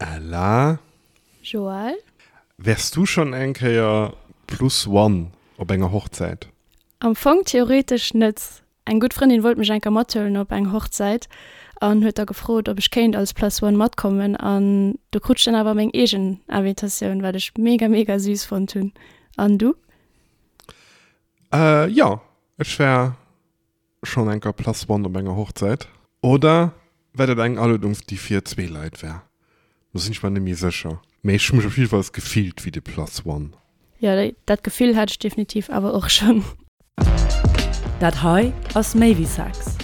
Ella. Joël. Wärs du schonn eng Kéier Plus One op enger Hochzäit? Am Fong theoretesch net. Eng gutt Frëndin wollt mech eng Kéier mathuelen op eng Hochzäit an huet da gefrot, ob ech kéint als Plus One matkommen an do krut ech dann awer meng eegen Invitatioun, wat ech mega mega süß fonnt hunn. An du? Äh jo, ech war schonn eng Kéier Plus One op enger Hochzäit. Oder war dat eng Aluedung, déi fir zwee Leit war? Do sinn ech mer net méi sécher. Mee ech hu mech op jiddefalls gefillt wéi de Plus One. Jo, dat Gefill hat ech definitiv awer och schonn. Dat hei ass méi wéi Sex.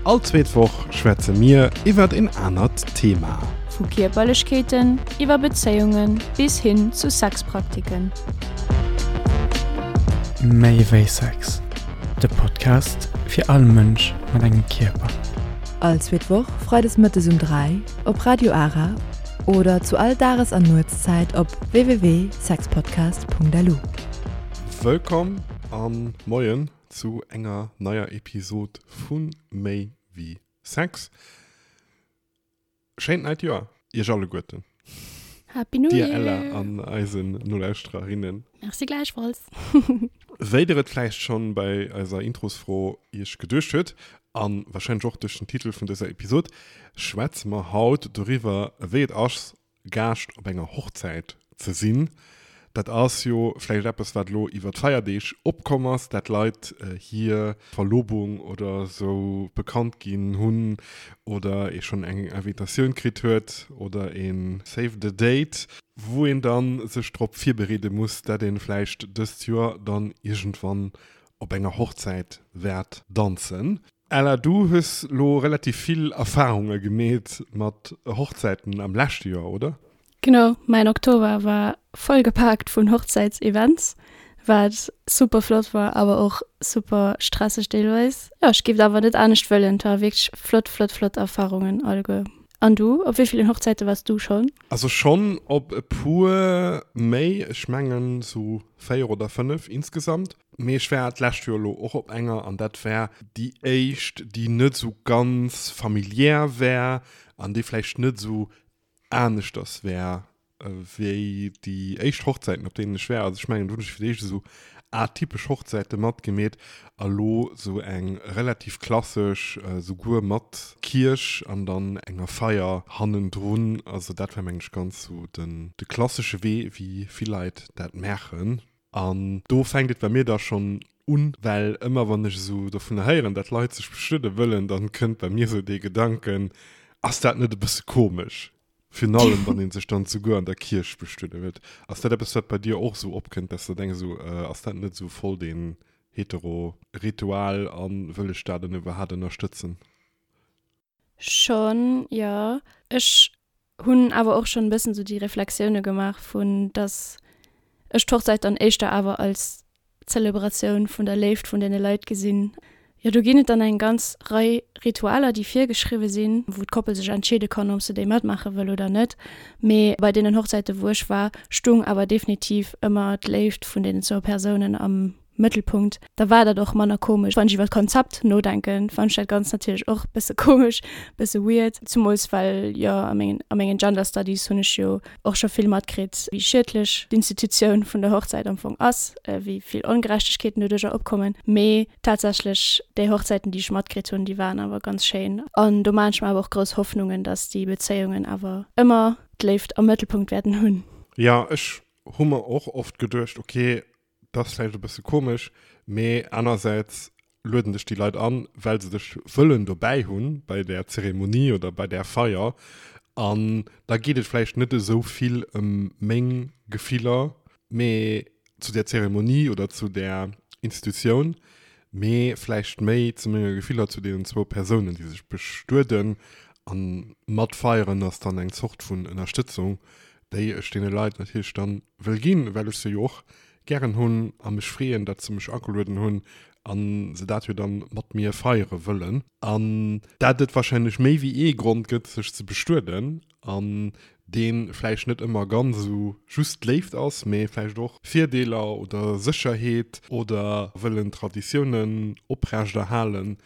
All zweet Woch schwätze mir iwwert een anert Thema. Vu Kierperlechkeeten iwwer Bezéiunge bis hin zu Sexpraktiken. Méi wéi Sex, de Podcast fir all Mënsch mat engem Kierper. All zweet Woch freides mëttes um 3 op Radio Ara oder zu all Dages an Nuetszäit op www.sexpodcast.lu. Wëllkomm an Moien zu enger neier Episod vu Méi wéi Sex. Schéint neit Joer iech alleguerten. Happy New Dir Year! Ella an eisen Nolauschtererinnen. Merci gläichfalls. Wéi der et vläicht schonn bei eiser Introsfro iech geduecht huet, an wahrscheinlech och duerch den Titel vun dëser Episod, schwätze mer haut doriwwer wéi et ass Gaascht op enger Hochzäit ze sinn. Dat ass jo vläicht eppes wat elo iwwer d'Feierdeeg opkomm ass, dat Leit hir Verlobung oder sou bekannt ginn hunn oder ee schonn eng Invitatioun kritt huet oder ee Save the Date, wou een dann sech drop virbereede muss, dat een vläicht dëst Joer dann iergendwann op enger Hochzäit wäert danzen. Ella, du hues lo relativ vill Erfahrunge gemeet mat Hochzäiten am leschte Joer, oder? Genau, mäin Oktober war voll gepaakt vun Hochzäitsevents, wat super flott war, awer och super stresseg deelweis. Jo, ech géif et awer net anescht wëllen, et ware wierklech flott, flott, flott Erfarungen alleguer. An du, op wéi villen Hochzäite waars du schonn? Also schonn op e puer méi, ech mengen sou 4 oder 5 insgesamt. Mee ech war d'lescht Joer elo och op enger an dat war déi éischt, déi net esou ganz familiär war an déi vläicht net esou aneschters war wéi déi éischt Hochzäiten, op deenen ech war. Also ech mengen, do hunn ech fir d'éischt esou atypesch Hochzäite matgemeet a lo esou eng relativ klassesch, souguer mat Kierch an dann enger Feier hannendrun. Also dat war, mengen ech, ganz esou den de klassesche Wee, wéi vill Leit dat maachen. An do fänkt et bei mir da schonn un, well ëmmer wann ech esou dovunner héieren, dat Leit sech bestuede wëllen, dann kënnt bei mir esou dee Gedanken, ass dat net e bësse komesch? Virun allem wann ee sech dann souguer an der Kierch bestuede wëllt. Ass dat eppes wat bei dir och esou opkënnt, dass de denks esou, ass dat net esou voll deen hetero Ritual a wëll ech dat dann iwwerhaat ënnerstëtzen? Schonn, jo. Ech hunn awer och schonn e bëssen esou déi Reflexioune gemaach vun, dass ech d'Hochzäit dann éischter awer als Zelebratioun vun der Léift vun deene Leit gesinn. Jo, do ginn et dann eng ganz Rei Ritualer, déi virgeschriwwe sinn, wou d'Koppel sech entscheede kann, ob se déi matmaache wëll oder net. Mee bei deenen Hochzäite wou ech war, stung awer definitiv ëmmer d'Léift vun deenen zwou Persounen am Mëttelpunkt, da war dat och manner komesch. Wann ech iwwer d'Konzept nodenken, fannen ech dat Ganzt natierlech och bësse komesch, bësse weird, zumools well jo a mengen, a mengen Gender Studies hunn ech jo och scho vill matkritt, wéi schiedlech d'Institutioun vun der Hochzäit am Fong ass, wéi vill Ongerechtegkeeten doduercher opkommen. Mee tatsächlech déi Hochzäiten, déi ech matkritt hunn, déi waren awer ganz schéin an do maachen ech mer awer och grouss Hoffnungen, dass déi Bezéiungen awer ëmmer d'Léift am Mëttelpunkt wäerten hunn. Jo, ech hu mer och oft geduecht, ok, Dat ass vläicht e bësse komesch, mee anersäits lueden dech déi Leit an, well se dech wëllen dobäi hunn bei där Zeremonie oder bei där Feier. An da geet et vläicht net esou vill ëm meng Gefiller, mee zu där Zeremonie oder zu där Institutioun, mee vläicht méi zu menge Gefiller zu deenen zwou Persounen, déi sech bestueden. A matfeieren ass dann eng Zort vun Ënnerstëtzung, déi ech deene Leit natierlech dann wëll ginn, well ech se jo och gären hunn a mech freeën, datt se mech agelueden hunn a se dat jo dann mat mir feiere wëllen. An dat et wahrscheinlech méi wéi ee Grond gëtt, sech ze bestueden an dee vläicht net ëmmer ganz esou just d'Léift ass, mee vläicht och Virdeeler oder Sécherheet oder wëllen Traditiounen oprechterhalen.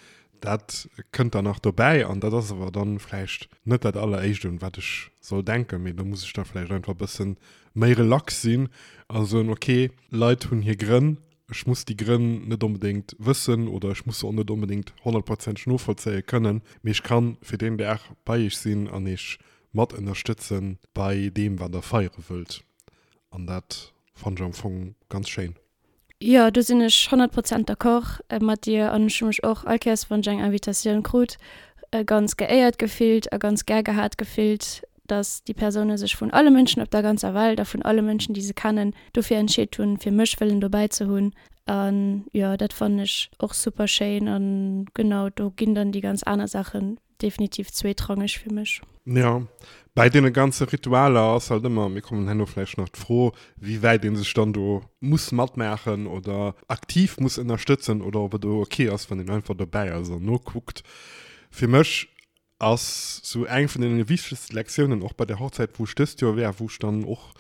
Dat kënnt dann nach dobäi an dat ass awer dann vläicht net dat alleréischt un wat ech soll denken, mee do muss ech da vläicht einfach e bësse méi relax sinn a soen, ok, Leit hunn hir Grënn, ech muss déi Grënn net onbedéngt wëssen oder ech muss se och net onbedéngt honnertprozenteg novollzéie kënnen, mee ech kann fir deen Dag bei iech sinn an iech mat ënnerstëtzen bei deem wat der feiere wëllt an dat fannen ech am Fong ganz schéin. Jo, do sinn ech 100 Prozent d'accord mat dir an ech hu mech och all Kéiers, wann ech eng Invitatioun krut, ganz geéiert gefillt a ganz gär gehat gefillt, dass déi Persoune sech vun alle Mënschen op der ganzer Welt a vun alle Mënschen, déi se kennen, dofir entscheet hunn, fir mech wëllen dobäi ze hunn. An jo, dat fannen ech och super schéin a genau do ginn dann déi ganz aner Saachen definitiv zweetrangeg fir mech. Jo, bäi deene ganze Ritualer ass halt ëmmer, mir kommen herno vläicht nach, d'Fro, wéi wäit ee sech dann do muss matmaachen oder aktiv muss ënnerstëtzen oder ob et och ok ass, wann een einfach dobäi ass an nokuckt. Fir mech ass sou eng vun deene wichtegste Lektiounen och bei der Hochzäit, wou ech dëst Joer war, wou ech dann och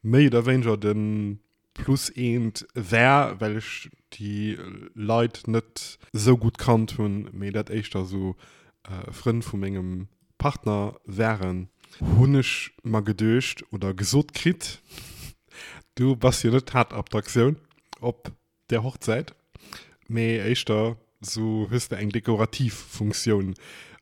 méi oder wéineger de plus eent war, well ech déi Leit net esou gutt kannt hunn, mee dat éischter esou Frënn vu mengem Partner waren, hunn ech mer geduecht oder gesot kritt, du bass jo net d'Haaptattraktioun op där Hochzäit, mee éischter esou hues de eng dekorativ Funktioun.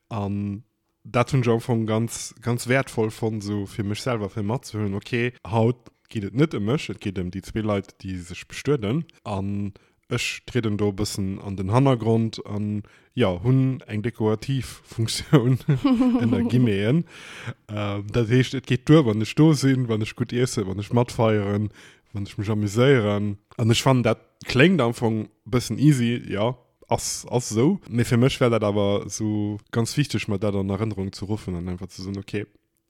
An dat hunn ech am Fong ganz, ganz wäertvoll fonnt, esou fir mech selwer fir matzehuelen, ok, haut geet et net ëm mech, et geet ëm déi zwee Leit, déi sech bestueden an ech trieden do e bëssen an den Hannergrond an, jo, hunn eng dekorativ Funktioun, ënner Guillemeten. Dat heescht, et geet duer, wann ech do sinn, wann ech gutt iessen, wann ech matfeieren, wann ech mech amuséieren. An ech fannen, dat kléngt am Fong e bëssen easy, jo, Ass ass esou. Mee fir mech war dat awer esou ganz wichteg, mer dat an Erënnerung ze ruffen an einfach ze soen, okay,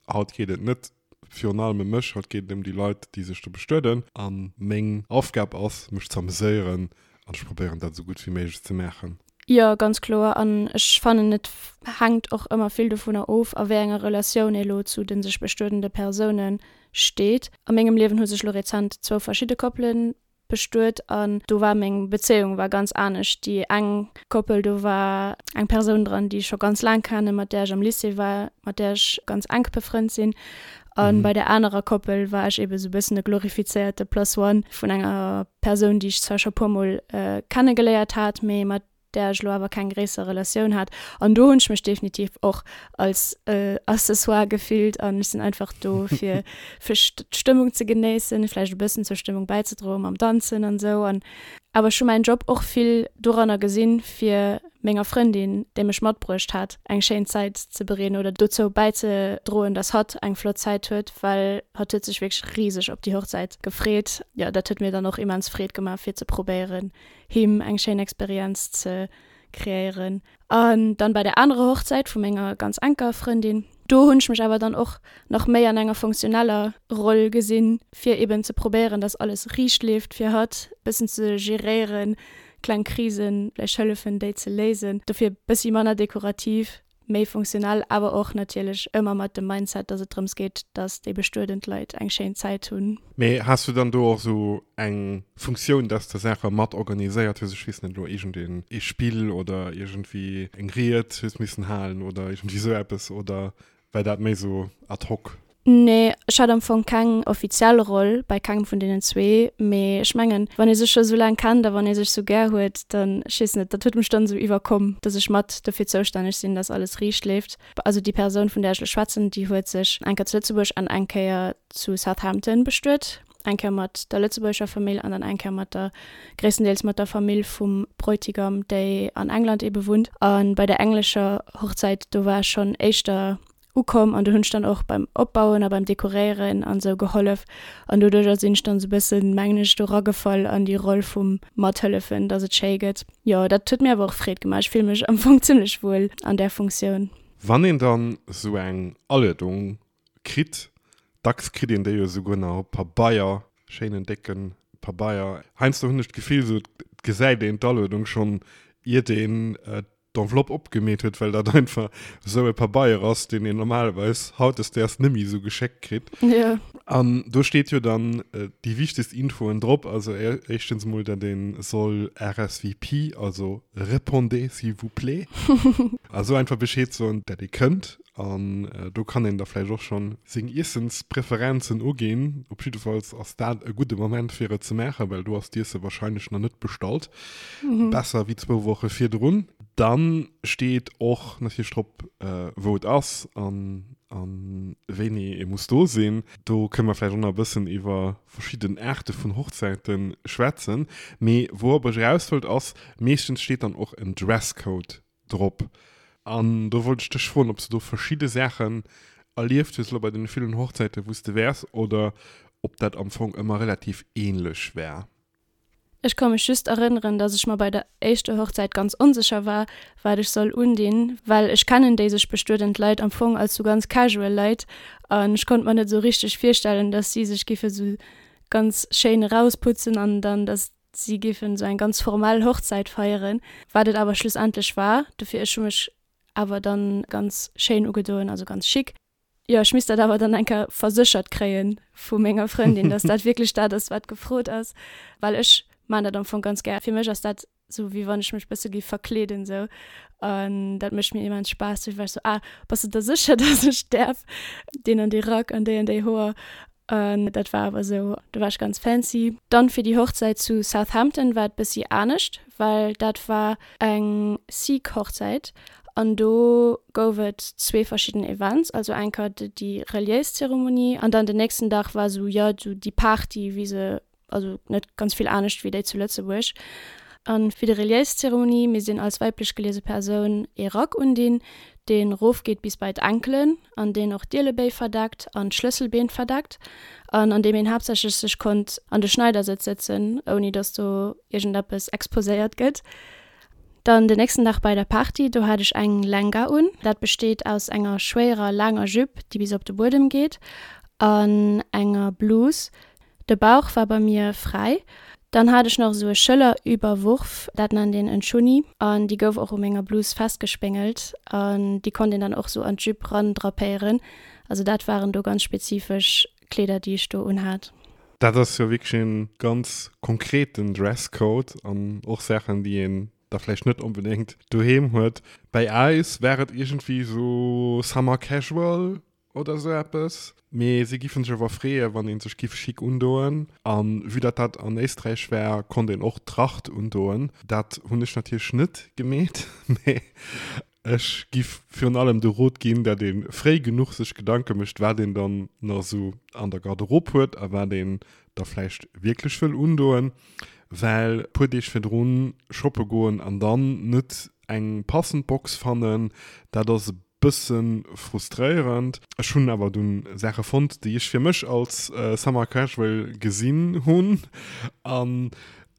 haut geet et net virun allem ëm mech, haut geet et ëm déi Leit, déi sech do bestueden. A meng Aufgab ass, mech ze ameséieren an ech probéieren dat esou gutt wéi méiglech ze maachen. Jo, ganz kloer. An ech fannen, et hänkt och ëmmer vill dovunner of, a wéi enger Relatioun ee lo zu de sech bestuedende Persoune steet. A mengem Liewen hu sech lo rezent zwou verschidde Koppele bestuet an do war meng Bezéiung war ganz anescht. Déi eng Koppel, do war eng Persoun dran, déi ech scho ganz laang kennen, mat där ech am Lycée war, mat där ech ganz enk befrënnt sinn. A bei där anerer Koppel war ech ebe sou e bëssen e glorifizéierte Plus one vun enger Persoun, déi ech zwar scho puermol kennegeléiert hat, mee mat där ech elo awer keng gréisser Relatioun hat. An do hunn ech mech definitiv och als Accessoire gefillt an ech sinn einfach do fir fir d'Stëmmung ze genéissen, vläicht e bëssen zur Stëmmung bäizedroen mam Danzen an esou. An awer ech hu mäin Job och vill doranner gesinn, fir menger Frëndin, déi mech matbruecht hat, eng schéin Zäit ze bereeden oder dozou bäizedroen, dass hatt eng flott Zäit huet, well hatt huet sech wierklech riseg op déi Hochzäit gefreet. Jo, dat huet mir dann och immens Freed gemaach, fir ze probéieren, him eng schéin Experienz ze kreéieren. An dann bei der anerer Hochzäit vu menger ganz enker Frëndin, do hunn ech mech awer dann och nach méi an enger funktioneller Roll gesinn, fir eben ze probéieren, dass alles riicht leeft fir hatt, bëssen ze geréieren, kleng Krisen vläicht hëllefen déi ze léisen, dofir bëssi manner dekorativ. méi funktionell, awer och natierlech ëmmer mat dem Mindset, dass et drëms geet, dass déi bestuedend Leit eng schéin Zäit hunn. Mee has du dann do och esou eng Funktioun, dass de Saache mat organiséiert hues, ech weess net elo, iergendeen ee Spill oder iergendwéi eng Ried hues missen halen oder iergendwéi esou eppes, oder war dat méi esou ad hoc? Nee, ech hat am Fong keng offiziell Roll bei kengem vun deenen zwee, mee ech mengen, wann ee sech scho sou laang kennt a wann ee sech sou gär huet, dann, ech weess net, dat huet mech dann esou iwwerkomm, dass ech mat dofir zoustänneg sinn, dass alles riicht leeft. Also déi Persoun, vun där ech elo schwätzen, déi huet sech eng Kéier zu Lëtzebuerg an eng Kéier zu Southampton bestuet, eng Kéier mat der lëtzebuergescher Famill an dann eng Kéier mat der, gréisstendeels mat der Famill vum Bräutigam, déi an England eebe wunnt. A bei der englescher Hochzäit, do war ech schonn éischter ukomm an do hunn ech dann och beim Opbauen a beim Dekoréieren an esou gehollef an doduercher sinn ech dann esou bëssen, mengen ech, do ragefall an déi Roll vum Mathëllefen, dass et schéi gëtt. Jo, dat huet mir awer och Freed gemaach. Ech fille mech am Fong zimmlech wuel an där Funktioun. Wann een dann esou eng Aluedung kritt, dacks kritt een déi jo esouguer nach op Pabeier, schéinen décke Pabeier, heiansdo hunn ech d'Gefill, esou et gesäit een d'Aluedung schonn iert een. d'Enveloppe opgemeet huet, well dat einfach esou e Pabeier ass, deen een normalerweis hautdesdaags net méi esou geschéckt kritt. Ja. An do steet jo dann déi wichtegst Infoen drop, also éischtens emol, datt ee soll RSVP, also Répondez s'il vous plaît, also einfach Bescheed soen, datt ee kënnt. An do kann een da vläicht och schonn seng Iessenspräferenzen uginn. Op jiddefalls ass dat e gudde Moment fir et ze maachen, well do ass d'Iesse wahrscheinlech nach net bestallt. Besser wéi zwou Woche virdrun. Dann steet och natierlech drop, wou et ass an wéini ee muss do sinn. Do kënne mer vläicht och nach e bëssen iwwer verschidden Aarte vun Hochzäite schwätzen. Mee wourop ech eraus wollt ass, meeschtens steet dann och en Dresscode drop. An do wollt ech dech froen, ob s de do verschidde Saachen erlieft hues elo bei deene villen Hochzäiten, wou s de wäers, oder ob dat am Fong ëmmer relativ ähnlech war. Ech ka mech just erënneren, dass ech mer bei der éischter Hochzäit ganz onsécher war, wat ech soll undinn, well ech kennen déi sech bestuedend Leit am Fong als sou ganz casual Leit an ech konnt mer net sou richteg virstellen, dass si sech giffe sou ganz schéin erausputzen an dann dass si giffen sou eng ganz formell Hochzäit feieren, wat et awer schlussendlech war. Dofir ech hu mech awer dann ganz schéin ugedoen, also ganz chic. Jo, ech misst dat awer dann eng Kéier verséchert kréie vu menger Frëndin, dass dat wierklech dat ass, wat gefrot ass, well ech maan dat am Fong ganz gär. Fir mech ass dat sou, wéi wann ech mech bësse géif verkleeden sou an dat mécht mir immens Spaass. Dofir war ech sou, ah, bass de der sécher, dass ech däerf deen an dee Rack an déi an déi Hoer? An dat war awer sou, do war ech ganz fancy. Dann fir déi Hochzäit zu Southampton war et bëssi anescht, well dat war eng Sikh Hochzäit an do gouf et zwee verschidden Events, also eng Kéier déi reliéis Zeremonie an dann den nächsten Dag war sou, jo, sou déi Party wéi se also net ganz vill anescht wéi déi zu Lëtzebuerg. A fir déi reliéis Zeremonie misst een als weiblech geliese Persoun ee Rack undinn, deen rofgeet bis bei d'Enkelen an deen och d'Ielebéi verdeckt an d'Schlësselbeen verdeckt an an deem een haaptsächlech sech konnt an de Schneidersëtz sëtzen, ouni datt do iergendeppes exposéiert gëtt. Dann den nächsten Dag bei der Party, do hat ech eng Lehenga un. Dat besteet aus enger schwéierer laanger Jupe, déi bis op de Buedem geet, an enger Blouse. De Bauch war bei mir fräi. Dann hat ech nach esou e Schëllerüberwurf, dat nennt een en Chunni, an déi gouf och u menger Blus festgespéngelt an déi konnt een dann och esou an d'Jupe ran drapéieren. Also dat waren do ganz spezifesch Kleeder, déi ech do unhat. Dat ass jo wierklech e ganz konkreten Dresscode an och Saachen, déi een da vläicht net onbedéngt doheem huet. Bei eis war et iergendwéi esou Summer Casual oder esou eppes. Mee si giffen sech awer freeën, wann een sech giff chic undoen. An vue dat dat an Éisträich war, konnt een och Tracht undoen. Dat hunn ech natierlech net gemeet, mee ech giff virun allem de Rot ginn, dat ee fréi genuch sech Gedanke mécht, wat een dann nach esou an der Garderobe huet a wat een da vläicht wierklech wëll undoen. Well puer Deeg virdrun shoppe goen an dann net eng passend Box fannen, dat ass e bësse frustréierend. Ech hunn awer dunn Saache fonnt, déi ech fir mech als Summer Casual gesinn hunn an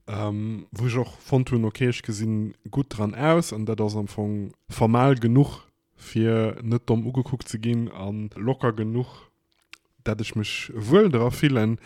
wou ech och fonnt hunn, ok, ech gesinn gutt dran aus an dat ass am Fong formal genuch fir net domm ugekuckt ze ginn a locker genuch, dat ech mech wuel dra fillen.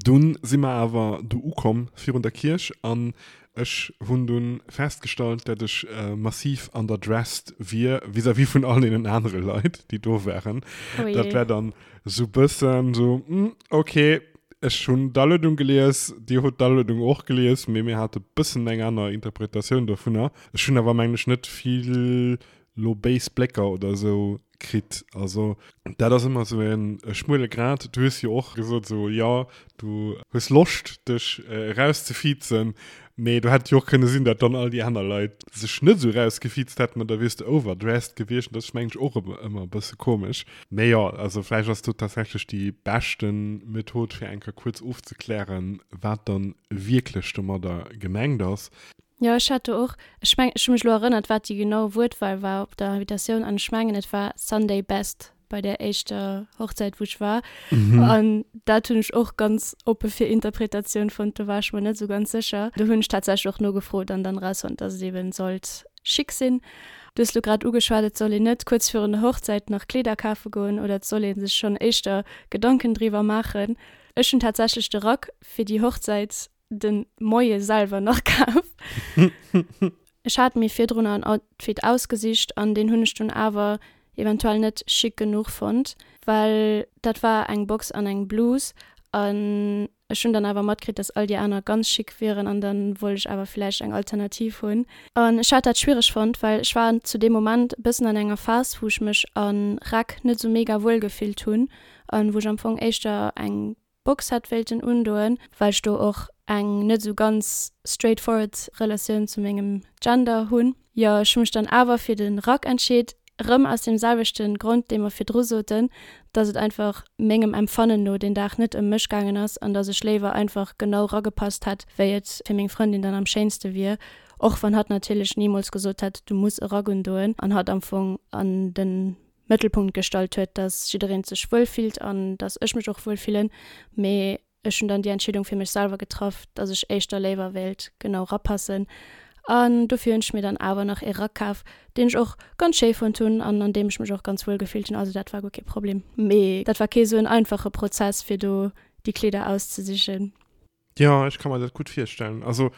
Dunn si mer awer do ukomm virun der Kierch an ech hunn dunn festgestallt, dat ech massiv underdressed wier vis-à-vis vun all deenen anere Leit, déi do waren. Oh Dat jee. war dann sou bëssen sou, hm, ok, ech hunn d'Aluedung gelies, dir hutt d'Aluedung och gelies, mee mir hate bëssen eng aner Interpretatioun dovunner. Ech hunn awer, mengen ech, net vill lo béis Blécker oder esou kritt. Also dat ass ëmmer esou e schmuele Grad. Du hues jo och gesot esou, jo, du hues Loscht dech erauszefiizen, mee do hätt jo och kënne sinn, datt dann all déi aner Leit sech net esou erausgefiizt hätten an da wiers de overdressed gewiescht. Dat ass mengen ech och ëmmer e bësse komesch. Mee jo, also vläicht ass do tatsächlech déi beschte Method fir eng Kéier kuerz ofzeklären, wat dann wierklech domadder gemengt ass. Jo, ech hat do och, ech mengen, ech hu mech elo erënnert, wat déi genau Wuertwahl war op der Invitatioun an ech mengen, et war Sunday best bei där éischter Hochzäit, wou ech war. An dat hunn ech och ganz oppe fir Interpretatioun fonnt, do war ech mer net esou ganz sécher. Do hunn ech tatsächlech och nogefrot an dann erausfonnt, dass et eben sollt chic sinn. Du hues elo grad ugeschwat, et soll een net kuerz virun der Hochzäit nach Kleeder kafe goen oder et soll ee sech schonn éischter Gedanken driwwer maachen. Ech hunn tatsächlech de Rack fir déi Hochzäit den Moie selwer nach kaf. Ech hat mir virdrunner en Outfit ausgesicht an deen hunn ech dunn awer eventuell net chic genuch fonnt, well dat war eng Box an eng Blus an ech hunn dann awer matkritt, dass all déi aner ganz chic wieren an dann wollt ech awer villäicht eng Alternativ hunn. An ech hat dat schwiereg fonnt, well ech war zu deem Moment e bëssen an enger Phas, wou ech mech a Räck net sou mega wuel gefillt hunn an wou ech am Fong éischter eng Box hätt wéilten undoen, well ech do och eng net esou ganz straightforward Relatioun zu mengem Gender hunn. Jo, ech hu mech dann awer fir de Rack entscheet, erëm aus deem selwechte Grond, dee mer virdru soten, dass et einfach mengem Empfannen no deen Dag net ëm mech gaangen ass an dass ech léiwer einfach genau ragepasst hätt, wéi et fir meng Frëndin dann am schéinste wier, och wann hatt natierlech nimools gesot hätt, du muss e Rack undoen an hatt am Fong an de Mëttelpunkt gestallt huet, dass jiddereen sech wuel fillt an dass ech mech och wuel fillen, mee ech hunn dann déi Entscheedung fir mech selwer getraff, dass ech éischter léiwer wéilt genau rapassen an dofir hunn ech mir dann awer nach ee Rack kaf, deen ech och ganz schéi fonnt hunn an an deem ech mech och ganz wuel gefillt hunn, also dat war guer kee Problem. Mee dat war kee sou en einfache Prozess fir do déi Kleeder auszesichen. Jo, ech ka mer dat gutt virstellen. Also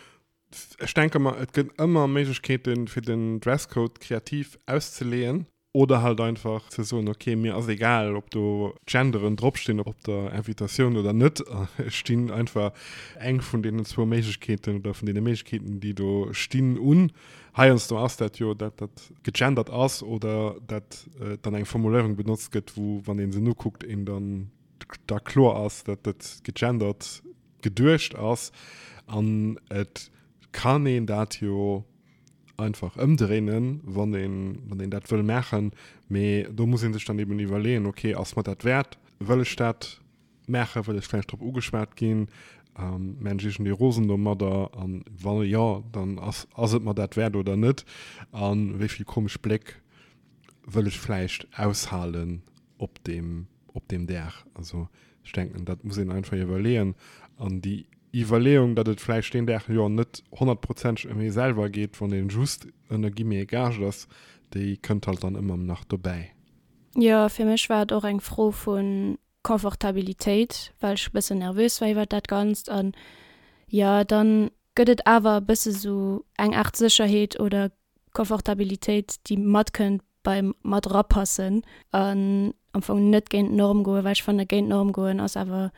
ech denke mer, et gëtt ëmmer Méiglechkeeten fir den Dresscode kreativ auszeleeën. Oder halt einfach ze soen, ok, mir ass egal, ob do Genderen dropstinn op der Invitatioun oder net, ech stinn einfach eng vun deenen zwou Méiglechkeeten oder vun deene Méiglechkeeten, déi do stinn, un. Heiansdo ass dat jo, dat dat gegendert ass oder dat dann eng Formuléierung benotzt gëtt, wou, wann ee se nokuckt, een dann da kloer ass, dat dat gegendert geduecht ass. An et kann een dat jo einfach ëmdréinen, wann een, wann een dat wëll maachen. Mee do muss ee sech dann eben iwwerleeën, okay, ass mer dat wäert? Wëll ech dat maachen? Wëll ech vläicht drop ugeschwat ginn? Maan ech iergendee rosen domadder? An wa jo, dann ass, ass et mer dat wäert oder net? A wéi vill komesch Bléck wëll ech vläicht aushalen op deem, op deem Dag? Also ech denken, dat muss een einfach iwwerleeën. An déi Iwwerleeung, datt et vläicht deen Dag jo net honnertprozenteg ëm ee selwer geet, wann ee just ënner guillemets Gaascht ass, déi kënnt halt dann ëmmer nach dobäi. Jo, fir mech war et och eng Fro vu Confortabilitéit, well ech e bëssen nervös war iwwert dat Ganzt. An jo, dann gëtt et awer e bësse sou eng Aart Sécherheet oder Confortabilitéit, déi matkënnt beim mat erapassen an am Fong net géint d'Norm goen, well ech fanne géint d'Norm goen ass awer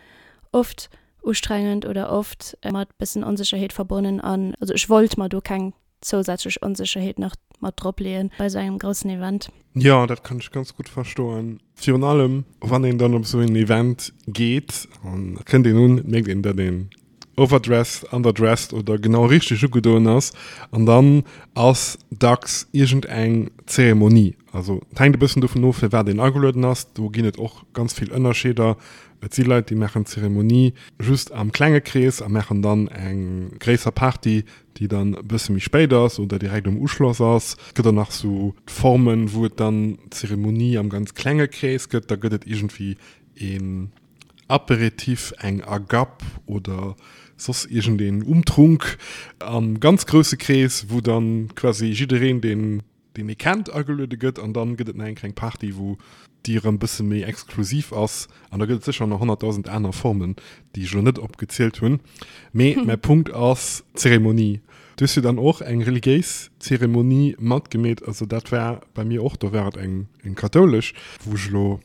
oft ustrengend oder oft mat bëssen Onsécherheet verbonnen an also ech wollt mer do keng zousätzlech Onsécherheet nach mat drop leeën bei esou engem groussen Event. Jo, dat kann ech ganz gutt verstoen. Virun allem wann een dann op esou een Event geet an et kënnt een un, et mierkt een, datt een overdressed, underdressed oder genau richteg ugedoen ass an dann ass dacks iergend eng Zeremonie. Also et hänkt e bëssen dovun of fir wat een agelueden ass. Do ginn et och ganz vill Ënnerscheeder. Et si Leit déi maachen d'Zeremonie just am klenge Krees a maachen dann eng gréisser Party déi dann e bësse méi spéit ass oder direkt um Uschloss ass. Et gëtt och nach sou Formen wou et dann d'Zeremonie am ganz klenge Krees gëtt. Da gëtt et iergendwéi een Aperitif, eng Agape oder soss iergendeen Umtrunk am ganz grousse Krees, wou dann quasi jiddereen, deen deen ee kennt, ageluede gëtt. An dann gëtt et nach eng kleng Party, wou déi erëm bësse méi exklusiv ass. An da gëtt et sécher nach 100.000 aner Formen, déi ech elo net opgezielt hunn. Mee mäi Punkt ass d'Zeremonie. Du hues jo dann och eng reliéis Zeremonie matgemeet. Also dat war bei mir och, do war et eng eng kathoulesch, wou ech elo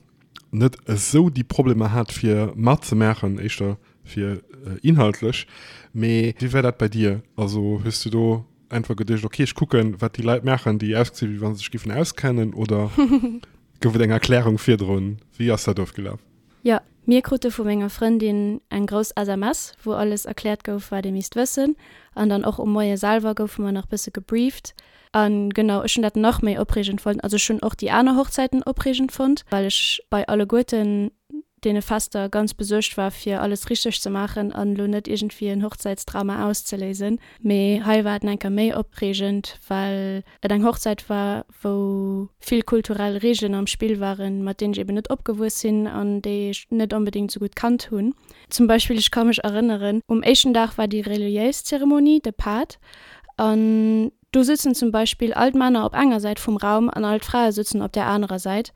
net esou déi Problemer hat fir matzemaachen, éischter fir inhaltlech. Mee wéi war dat bei dir? Also hues du do einfach geduecht, okay ech kucken wat déi Leit maachen, déi ausgesinn wéi wa se sech géifen auskennen oder gouf et eng Erklärung virdrun? Wéi ass dat ofgelaf? Jo, mir krute vu menger Frëndin eng grouss SMS, wou alles erkläert gouf, wat ee misst wëssen. An dann och um Moie selwer goufe mer nach bësse gebrieft. A genau, ech hunn dat nach méi opreegend fonnt. Also ech hunn och déi aner Hochzäiten opreegend fonnt, well ech bei alleguerten deene Fester ganz besuergt war, fir alles richteg ze maachen an elo net iergendwéi en Hochzäitsdrama auszeléisen. Mee hei war et nach eng Kéier méi opreegend, well et eng Hochzäit war, wou vill kulturell Reegelen am Spill waren, mat deenen ech eben net opgewuess sinn an déi ech net onbedéngt esou gutt kannt hunn. Zum Beispill, ech ka mech erënneren, um éischten Dag war déi reliéis Zeremonie, de Paat, an do sëtzen zum Beispill all d'Männer op enger Säit vum Raum an all d'Frae sëtzen op där anerer Säit.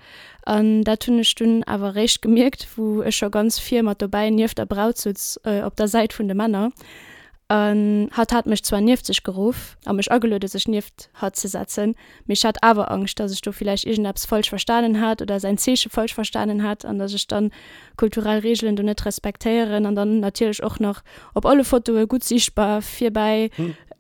An dat hunn ech dunn awer eréischt gemierkt, wou ech scho ganz vir mat dobäi nieft der Braut sutz op der Säit vun de Männer. An hatt hat mech zwar nieft sech geruff a mech ageluede sech nieft hatt ze setzen, mee ech hat awer Angscht, dass ech do villäicht iergendeppes falsch verstanen hat oder säin Zeeche falsch verstanen hat an dass ech dann kulturell Reegelen do net respektéieren an dann natierlech och nach op alle Fotoe gutt siichtbar virbäi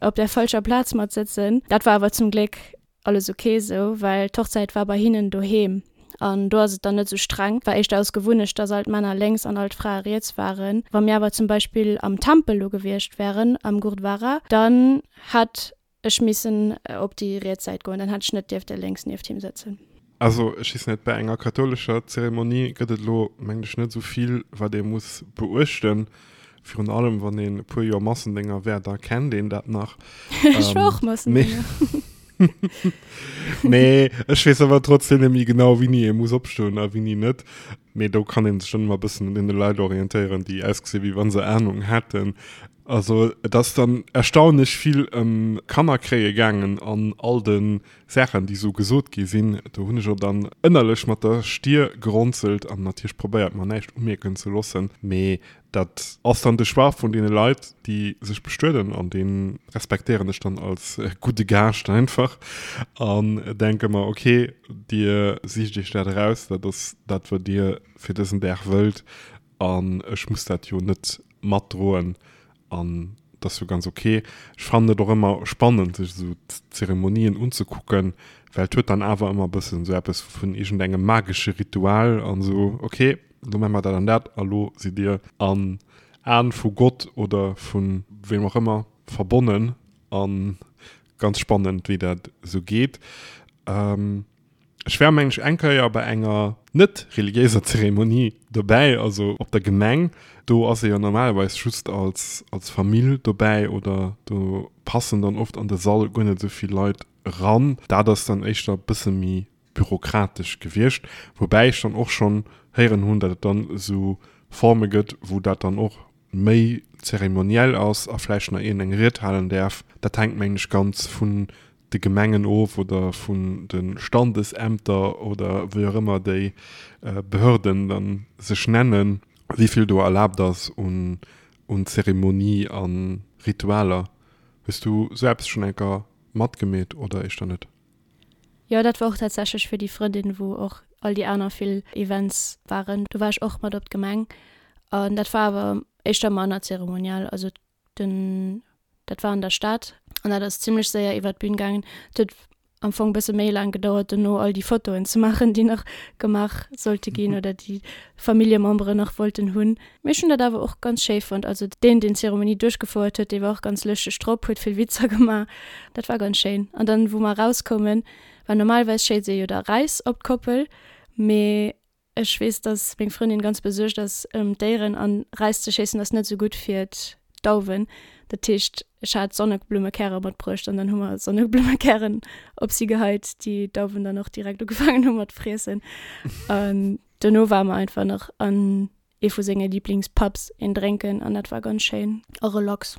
op der falscher Plaz mat sëtzen. Dat war awer zum Gléck Alles ok esou, well d'Hochzäit war bei hinnen doheem an do ass et dann net esou streng. War éischter aus Gewunnecht, dass all d'Männer lénks an all d'Frae riets waren. Wa mir awer zum Beispill am Tempel lo gewiescht wären, am Gurdwara, dann hätt ech missen op déi riets Säit goen, dann hätt ech net dierfte lénks nieft him sëtzen. Also ech weess net, bei enger kathoulescher Zeremonie gëtt et elo mengen ech net esou vill wat ee muss beuechten. Virun allem wann een e puer Joer Massendénger war, da kennt een dat nach. Ech war och Massendénger. Mee ech weess awer trotzdem net méi genau wéini ee muss opstoen a wéini net. Mee do kann ee sech dann ëmmer e bëssen un deene Leit orientéieren, déi ausgesi wéi wa se Anung hätten. Also et ass dann erstaunlech vill ëm Kannerkréie gaangen an all de Saachen, déi esou gesot gi sinn. Do hunn ech och dann ënnerlech mat der Stier geronzelt an natierlech probéiert, mer näischt umierken ze loossen. Mee dat ass dann de Choix vun deene Leit, déi sech bestueden an dee respektéieren ech dann als gudde Gaascht einfach an denke mer, okay, Dir sicht Iech dat eraus, dat ass dat, wat Dir fir dësen Dag wëllt an ech muss dat jo net matdroen an dat ass jo ganz ok. Ech fannen et och ëmmer spannend sech esou d'Zeremonien unzekucken, well et huet dann awer ëmmer e bëssen esou eppes vun iergendengem magesche Ritual an esou, ok, elo maache mer dat an dat a lo sidd dir an Aen vu Gott oder vu weem och ëmmer verbonnen an ganz spannend wéi dat esou geet. Ech war mengen ech eng Kéier bei enger net reliéiser Zeremonie dobäi, also op der Gemeng. Do ass ee jo normalerweis just als als Famill dobäi oder do passen dann oft an de Sall guer net esou vill Leit eran. Dat ass dann éischter e bësse méi bürokratesch gewiescht, woubäi ech dann och schonn héieren hunn, datt et dann esou Forme gëtt, wou dat dann och méi zeremoniell ass a vläicht nach een eng Ried halen däerf. Dat hänkt mengen ech ganz vun de Gemengen of oder vun de Standesämter oder wéi och ëmmer déi Behörden dann sech nennen, wéi vill do erlaabt ass un Zeremonie a Ritualer. Hues du sou eppes schonn enker matgemeet oder éischter net? Jo, dat war och tatsächlech fir déi Frëndin, wou och all déi aner vill Events waren. Do war ech och mat op d'Gemeng an dat war awer éischter manner zeremoniell. Also den, dat war an der Stad an dat ass zimlech séier iwwer d'Bün gaangen. Et huet am Fong bësse méi laang gedauert dono all déi Fotoen ze maachen, déi nach gemaach sollte ginn oder déi Familljememberen nach wollten hunn. Mee ech hunn dat awer och ganz schéi fonnt. Also deen, deen d'Zeremonie duerchgefouert huet, dee war och ganz lëschteg drop, huet vill Witzer gemaach. Dat war ganz schéin. An dann, wou mer erauskoumen, well normalerweis schéiss ee jo da Räis op d'Koppel, mee Ech weess, dass meng Frëndin ganz besuergt ass ëm d'Déieren an Räis ze schéissen ass net esou gutt fir d'Dauwen. Dat heescht, ech hat Sonneblummekäre matbruecht an dann hu mer Sonneblummekären op si geheit, déi d'Dauwen dann och direkt ugefaangen hu mat friessen. An dono ware mer einfach nach an ee vu senge Liblingspubs een drénken an dat war ganz schéin a relax.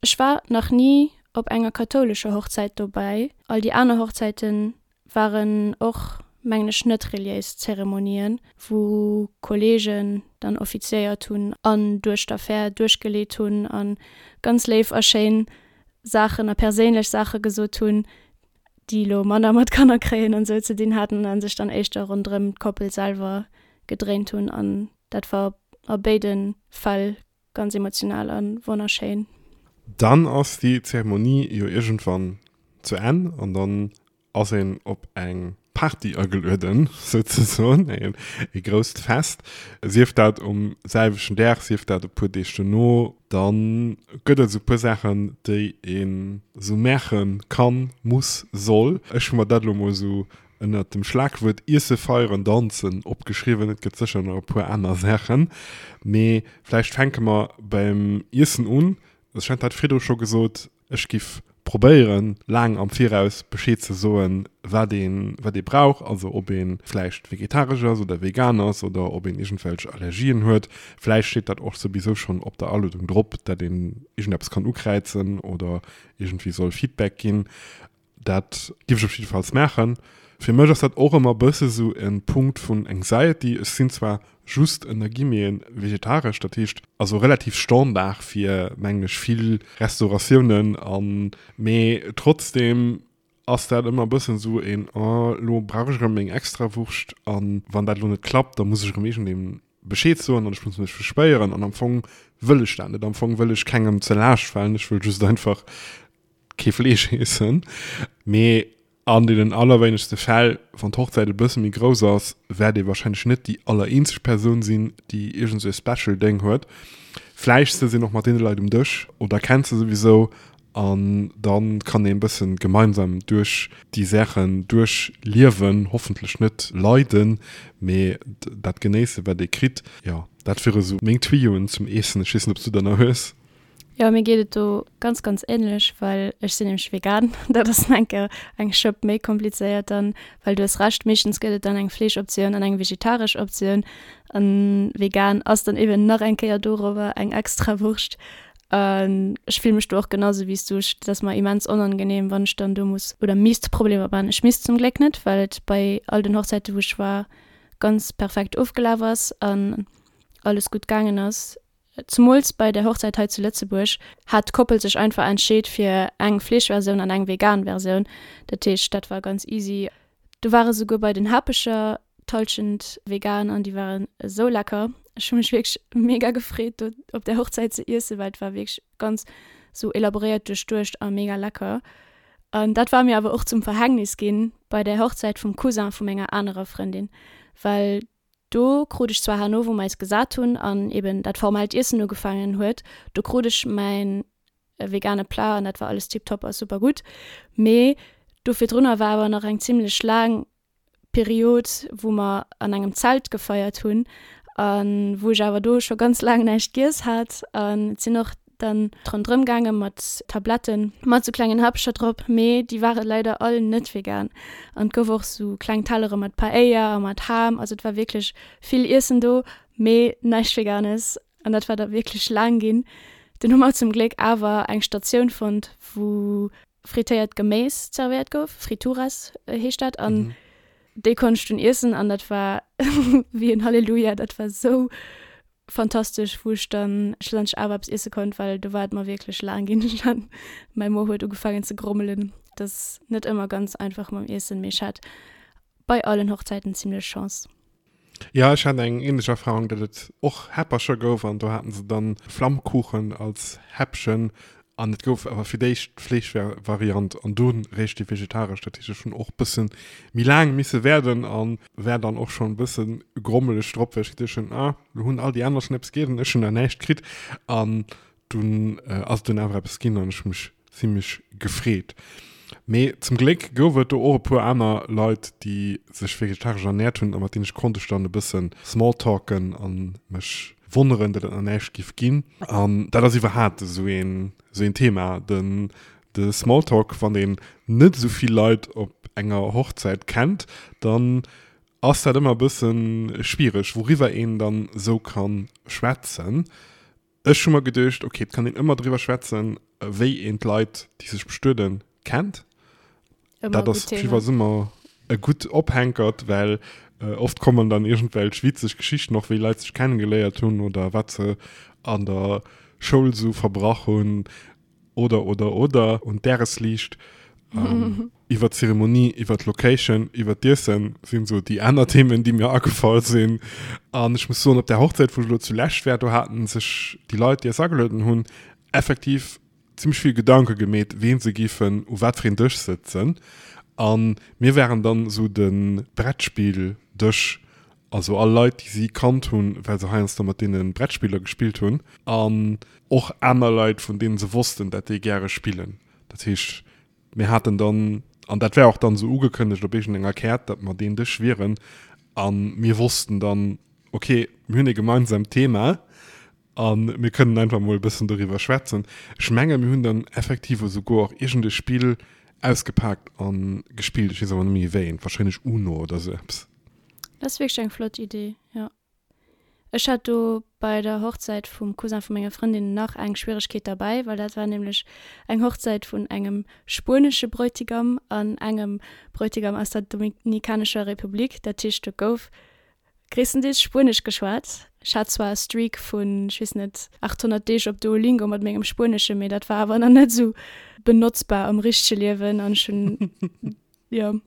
Ech war nach ni op enger kathoulescher Hochzäit dobäi. All déi aner Hochzäiten waren och, mengen ech, net reliéis Zeremonien, wou Kollegen dann offiziéiert hunn an duerch d'Affär duerchgeleet hunn a ganz léif a schéin Saachen a perséinlech Saache gesot hunn, déi elo manner mat Kanner kréien an esou ze dinn haten a sech dann éischter ronderëm d'Koppel selwer gedréint hunn. An dat war a béide Fäll ganz emotional a wonnerschéin. Dann ass déi Zeremonie jo iergendwann zu Enn an dann ass een op eng Party agelueden, souzesoen, e grousst Fest, sief dat um selwechten Dag, sief dat e puer Deeg dono. Dann gëtt et esou e puer Saachen, déi een esou maache kann, muss, soll. Ech hu mer dat elo mol esou ënnert dem Schlagwuert Iesse, Feieren, Danzen opgeschriwwen. Et gëtt sécher nach e puer aner Saachen, mee vläicht fänke mer beim Iessen un. Ech hat dat virdru scho gesot, ech giff probéieren, laang am Viraus Bescheed ze soen, wat een, wat ee brauch, also ob ee vläicht vegetaresch ass oder vegan ass oder ob een iergendwelch Allergien huet. Vläicht steet dat och souwisou schonn op der Aluedung drop, dat een iergendeppes kann ukräizen oder iergendwéi soll Feedback ginn. Dat giff ech op jiddefalls maachen. Fir mech ass dat och ëmmer e bësse sou e Punkt vun Anxiety. Ech sinn zwar just ënner Guillemeten vegetaresch, dat heescht also relativ Standard fir, mengen ech, vill Restauratiounen an, mee trotzdem ass dat ëmmer e bëssen esou een, oh lo brauch ech erëm meng Extrawurscht an wann dat elo net klappt, da muss ech erëm iergendeem Bescheed soen an ech muss mech verspäieren an am Fong wëll ech dat net. Am Fong wëll ech kengem ze Laascht falen, ech wëll just einfach kee Fleesch iessen. Mee an deenen allerwéinegste Fäll, wann d'Hochzäit e bësse méi grouss ass, wäert ee wahrscheinlech net déi allereenzeg Persoun sinn, déi iergend sou e Special Déng huet. Vläicht sëtzt een och mat deene Leit um Dësch oder kennt se souwisou An dann kann een bëssen gemeinsam duerch déi Saachen duerch liewen, hoffentlech net leiden, mee dat genéissen wat ee kritt. Jo, dat wiere sou meng Tuyauxen zum Eessen. Ech weess net obs du der nach hues. Jo, mir geet et do ganz ganz ähnlech, well ech sinn nämlech vegan. Dat ass nach eng Kéier eng Schëpp méi komplizéiert dann, well du hues Recht, meeschtens gëtt et dann eng Fleeschoptioun an eng vegetaresch Optioun. An vegan ass dann eben nach eng Kéier dorobber eng extra Wurscht. An ech fille mech do och genau sou wéi s du. Et ass mer immens onangenehm, wann ech dann do muss oder misst Problemer man. Ech misst zum Gléck net, well et bei all den Hochzäite wou ech war ganz perfekt ofgelaf ass an alles gutt gaangen ass. Zemools bei der Hochzäit hei zu Lëtzebuerg hat d'Koppel sech einfach entscheet fir eng Fleeschversioun an eng vegan Versioun. Dat heescht dat war ganz easy. Do ware souguer bei den Hapecher d'Halschent vegan an déi waren esou lecker. Ech hu mech wierklech mega gefreet do op där Hochzäit ze iessen, well et war wierklech ganz sou elaboréiert duerchduecht a mega lecker. An dat war mir awer och zum Verhängnis ginn bei der Hochzäit vum Cousin vu menger anerer Frëndin, well do krut ech zwar herno, wou mer eis gesat hunn an eben dat formellt Iessen ugefaangen huet, do krut ech mäin e vegane Plat an dat war alles tiptop a super gutt. Mee do virdrunner war awer nach eng zimlech laang Period, wou mer an engem Zelt gefeiert hunn a wou ech awer do scho ganz laang näischt giess hat. An et sinn och dann ronderëm gaange mat Tabletten mat sou klengen Häppcher drop, mee déi ware leider all net vegan. An et gouf och sou kleng Tellere mat Paella a mat Ham, also et war wierklech vill Iessen do, mee näischt Veganes. An dat war da wierklech laang ginn. Dunn hu mer zum Gléck awer eng Statioun fonnt, wou frittéiert Geméis zerwéiert gouf, Frituras heescht dat, an déi konnt ech dunn iessen an dat war wéi en Halleluja. Dat war sou fantastesch, wou ech dann schlussendlech awer eppes iesse konnt, well do war et mer wierklech laang ginn. Mäi Mo huet ugefaangen ze grommelen. Dat ass net ëmmer ganz einfach mam Iessen, mee ech hat bei allen Hochzäiten zimlech Chance. Jo, ech hat eng ähnlech Erfahrung, datt et och Häppercher gouf an do haten se dann Flammkuchen als Häppchen an et gouf awer fir d'éischt d'Fleeschvariant an dunn réischt déi vegetaresch. Dat heescht ech hunn och bëssen méi laang misse waarden an war dann och schonn bëssen grommeleg drop, well ech geduecht hunn, ah lo hunn all déi aner schonn eppes giess an ech hunn nach näischt kritt an dunn ass et dunn awer eppes ginn an ech hu mech zimmlech gefreet. Mee zum Gléck gouf et do och e puer aner Leit, déi sech vegetaresch ernäert hunn a mat deenen ech konnt ech dann e bëssen smalltalken a mech wonneren, datt et nach näischt giff ginn. An dat ass iwwerhaapt esou een, esou een Thema, den, de Smalltalk, wann een net esou vill Leit op enger Hochzäit kennt, dann ass dat ëmmer e bësse schwiereg, wouriwwer een dann esou ka schwätzen. Ech hu mer geduecht, ok, et kann een ëmmer driwwer schwätzen, wéi een d'Leit, déi sech bestueden, kennt. Ëmmer Dat e ass gutt Thema. jeeweils ëmmer e gutt Ophänkert, well oft kommen dann iergendwelch witzeg Geschichten och, wéi Leit sech kennegeléiert hunn oder wat se an der Schoul sou verbrach hunn. Oder, oder, oder. Un d'Dagesliicht, iwwer d'Zeremonie, iwwer d'Location, iwwer d'Iessen sinn esou déi aner Themen, déi mir agefall sinn. An ech muss soen, op där Hochzäit, wou ech elo zulescht war, do haten sech déi Leit, déi eis agelueden hunn, effektiv zimmlech vill Gedanke gemeet, ween se géifen u wat fir een Dësch sëtzen. A mir waren dann esou de Brettspilldësch Also all Leit, déi si kannt hunn, well se heiansdo mat deene Brettspiller gespillt hunn. An och aner Leit, vun deene se wossten, dat déi gäre spillen. Dat heescht, mir haten dann, an dat war och dann esou ugekënnegt op iergendenger Käert, datt mer deen Dësch wieren. A mir wossten dann, okay, mir hunn e gemeinsamt Thema a mir kënnen einfach mol e bëssen doriwwer schwätzen. Ech menge mir hunn dann effektiv esouguer och iergend e Spill ausgepaakt a gespillt. Ech weess awer net méi wéi eent, warscheinlech Uno oder esou eppes. Dat ass wierklech eng flott Idee, jo. Ech hat do. bei der Hochzäit vum Cousin vu menger Frëndin nach eng Schwieregkeet derbäi, well dat war nämlech eng Hochzäit vun engem spuenesche Bräutigam an engem Bräutigam aus der Dominikanescher Republik. Dat heescht, do gouf gréisstendeels Spuenesch geschwat. Ech hat zwar e Streak vun, ech weess net, 800 Deeg op Duolingo mat mengem Spuenesche, mee dat war awer nach net esou benotzbar am richtege Liewen an ech hunn Jo,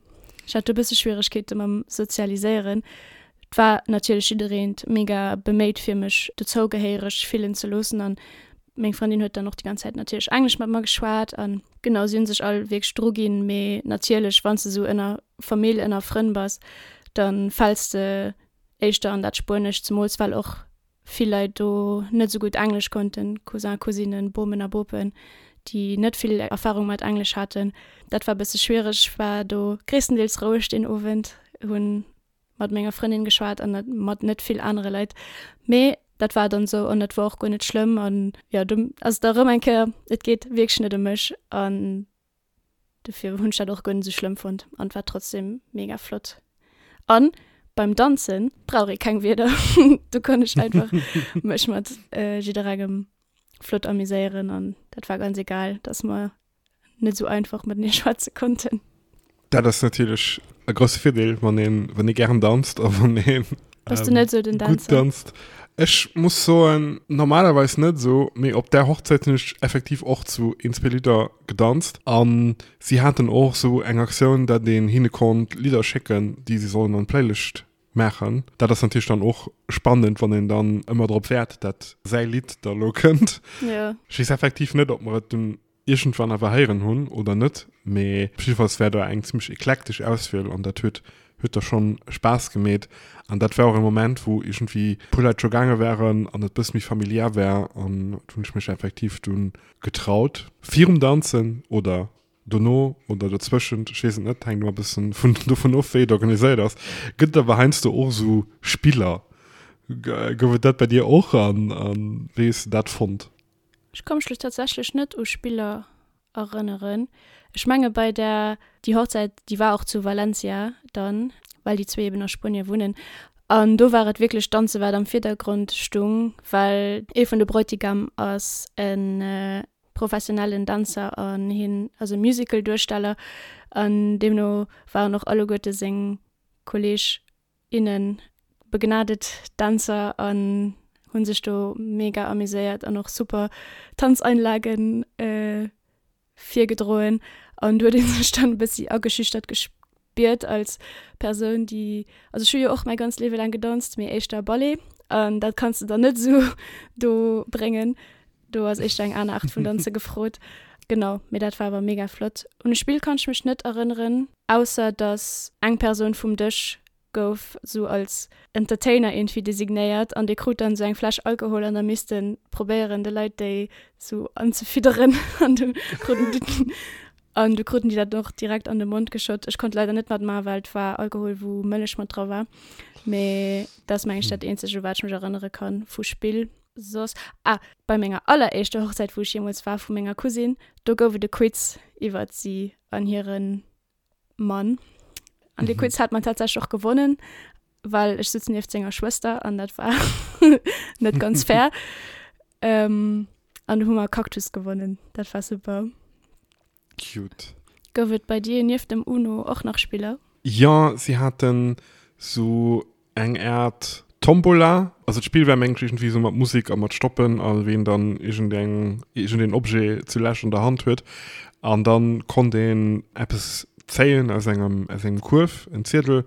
ech hat do e bësse Schwieregkeete mam Sozialiséieren. Et war natierlech jiddereent mega beméit fir mech dozougehéiereg fillen ze loossen an meng Frëndin huet dann och déi ganz Zäit natierlech Englesch mat mer geschwat an genau, si hunn sech all wierklech dru ginn. Mee natierlech, wann s de sou ënner Famill, ënner Frënn bass, da fäls de éischter an dat Spuenescht, zemools well och vill Leit do net esou gutt Englesch konnten, Cousin, Cousinen, Bomen a Bopen, déi net vill Erfahrung mat Englesch haten. Dat war e bësse schwiereg. Ech war do gréisstendeels roueg deen Owend, hunn mat menger Frëndin geschwat an mat net vill anere Leit. Mee dat war dann esou an dat war och guer net schlëmm. An jo, do ass et erëm eng Kéier, et geet wierklech net ëm mech an Dofir hunn ech dat och guer net esou schlëmm fonnt an et war trotzdem mega flott. An beim Danzen brauch ee keng Wierder, do konnt ech einfach mech mat jidderengem flott amuséieren an dat war ganz egal, dass mer net esou einfach matenee schwätze konnten. Dat ass natierlech e grousse Virdeel, wann een, wann ee gären danzt a wann een Bass du net esou den gutt Dänzer? danzt. Ech muss soen, normalerweis net esou, mee op där Hochzäit hunn ech effektiv och zu een, zwee Lidder gedanzt. A si haten och esou eng Aktioun, dat een hinne konnt Lidder schécken, déi si sollen an d'Playlëscht maachen. Dat ass natierlech dann och spannend, wann een dann ëmmer drop wäert, dat säi Lidd da lo kënnt. Jo. Ech weess effektiv net, ob mer et dunn iergendwann awer héieren hunn oder net, mee jiddefalls war do eng zimmlech eklektesch Auswiel an dat huet huet da schonn Spaass gemeet. An dat war och e Moment, wou iergendwéi e puer Leit scho gaange waren an et bësse méi familiär war an do hunn ech mech effektiv dunn getraut virum Danzen oder dono oder dozwëschent, ech weess et net, hänkt ëmmer e bëssen vun dovun of, wéi et organiséiert ass, gëtt et awer heiansdo och esou Spiller. Gouf et dat bei dir och an wéi hues de dat fonnt? Ech ka mech lo tatsächlech net u Spiller erënneren. Ech menge bei der, déi Hochzäit, déi war och zu Valencia dann, well déi zwee eben a Spuenie wunnen. An do war et wierklech Danze wat am Virdergrond stung, well ee vun de Bräutigam ass e professionellen Dänzer an hien ass e Musical-Duersteller an deemno waren och alleguerte seng Kolleeg innen begnadet Dänzer an hunn sech do mega amuséiert an och super Tanzeinlagen virgedroen an do huet een sech dann e bëssi ageschüchtert gespiert als Persoun déi, also ech hu jo och mäi ganzt Liewe laang gedanzt, mee éischter Ballet an dat kanns de dann net esou do bréngen, do ass éischter eng aner Aart vun Danze gefrot. Genau, mee dat war awer mega flott. Un e Spill kann ech mech net erënneren. Ausser dass eng Persoun vum Dësch gouf sou als Entertainer iergendwéi designéiert an dee krut dann sou eng Fläsch Alkohol an da misst en probéieren de Leit déi sou anzefidderen an du kruten déi an du kruten déi dat och direkt an de Mond geschott. Ech konnt leider net matmachen, well et war Alkohol wou Mëllech mat dra war. Mee dat ass meng ech dat eenzegt u wat ech mech erënnere kann vu Spill. Soss, ah, bei menger alleréischter Hochzäit wou ech jeemools war vu menger Cousine, do gouf et e Quiz iwwert si an hiren Mann. An dee Quiz hat mer tatsächlech och gewonnen, well ech sutz nieft senger Schwëster an dat war net ganz fair. Ähm, an du hu mer Cactus gewonnen. Dat war super. Cute. Gouf et bei dir nieft dem Uno och nach Spiller? Jo, si haten sou eng Aart Tombola. Also d'Spill war mengen ech iergendwéi sou mat Musek a mat Stoppen a ween dann iergendeng, iergendeen Objet zulescht an der Hand huet. An dann konnt een eppes zéien aus engem, aus engem Kuerf, en Ziedel.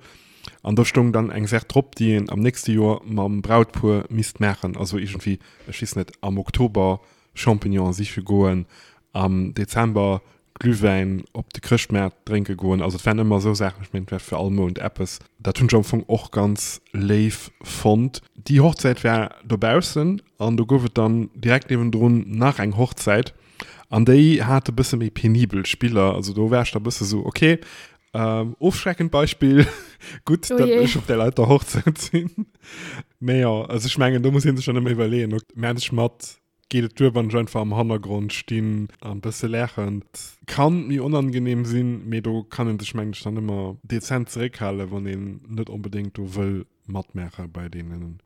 An do stoung dann eng Saach drop, déi een am nächste Joer mam Brautpuer misst maachen. Also iergendwéi, ech weess net, am Oktober Champignonen siche goen, am Dezember Glühwäin op de Chrëschtmaart drénke goen. Also et waren ëmmer esou Saachen, ech mengen et war fir all Mount eppes. Dat hunn ech am Fong och ganz léif fonnt. Déi Hochzäit war dobaussen an do gouf et dann direkt niewendrun nach eng Hochzäit an déi hat e bësse méi penibel Spiller. Also do war ech da bësse sou, okay, ofschreckend Beispill, gutt, datt ech op där leiter Hochzäit sinn. Mee jo, also ech mengen do muss ee sech dann ëmmer iwwerleeën, ok, maachen ech mat, Geet et duer, wann ech einfach am Hannergrond stinn an bësse laachen? Kann méi onangenehm sinn, mee do kann een sech mengen ech dann ëmmer dezent zeréckhalen, wann een net onbedéngt do wëll matmaache bei deenen,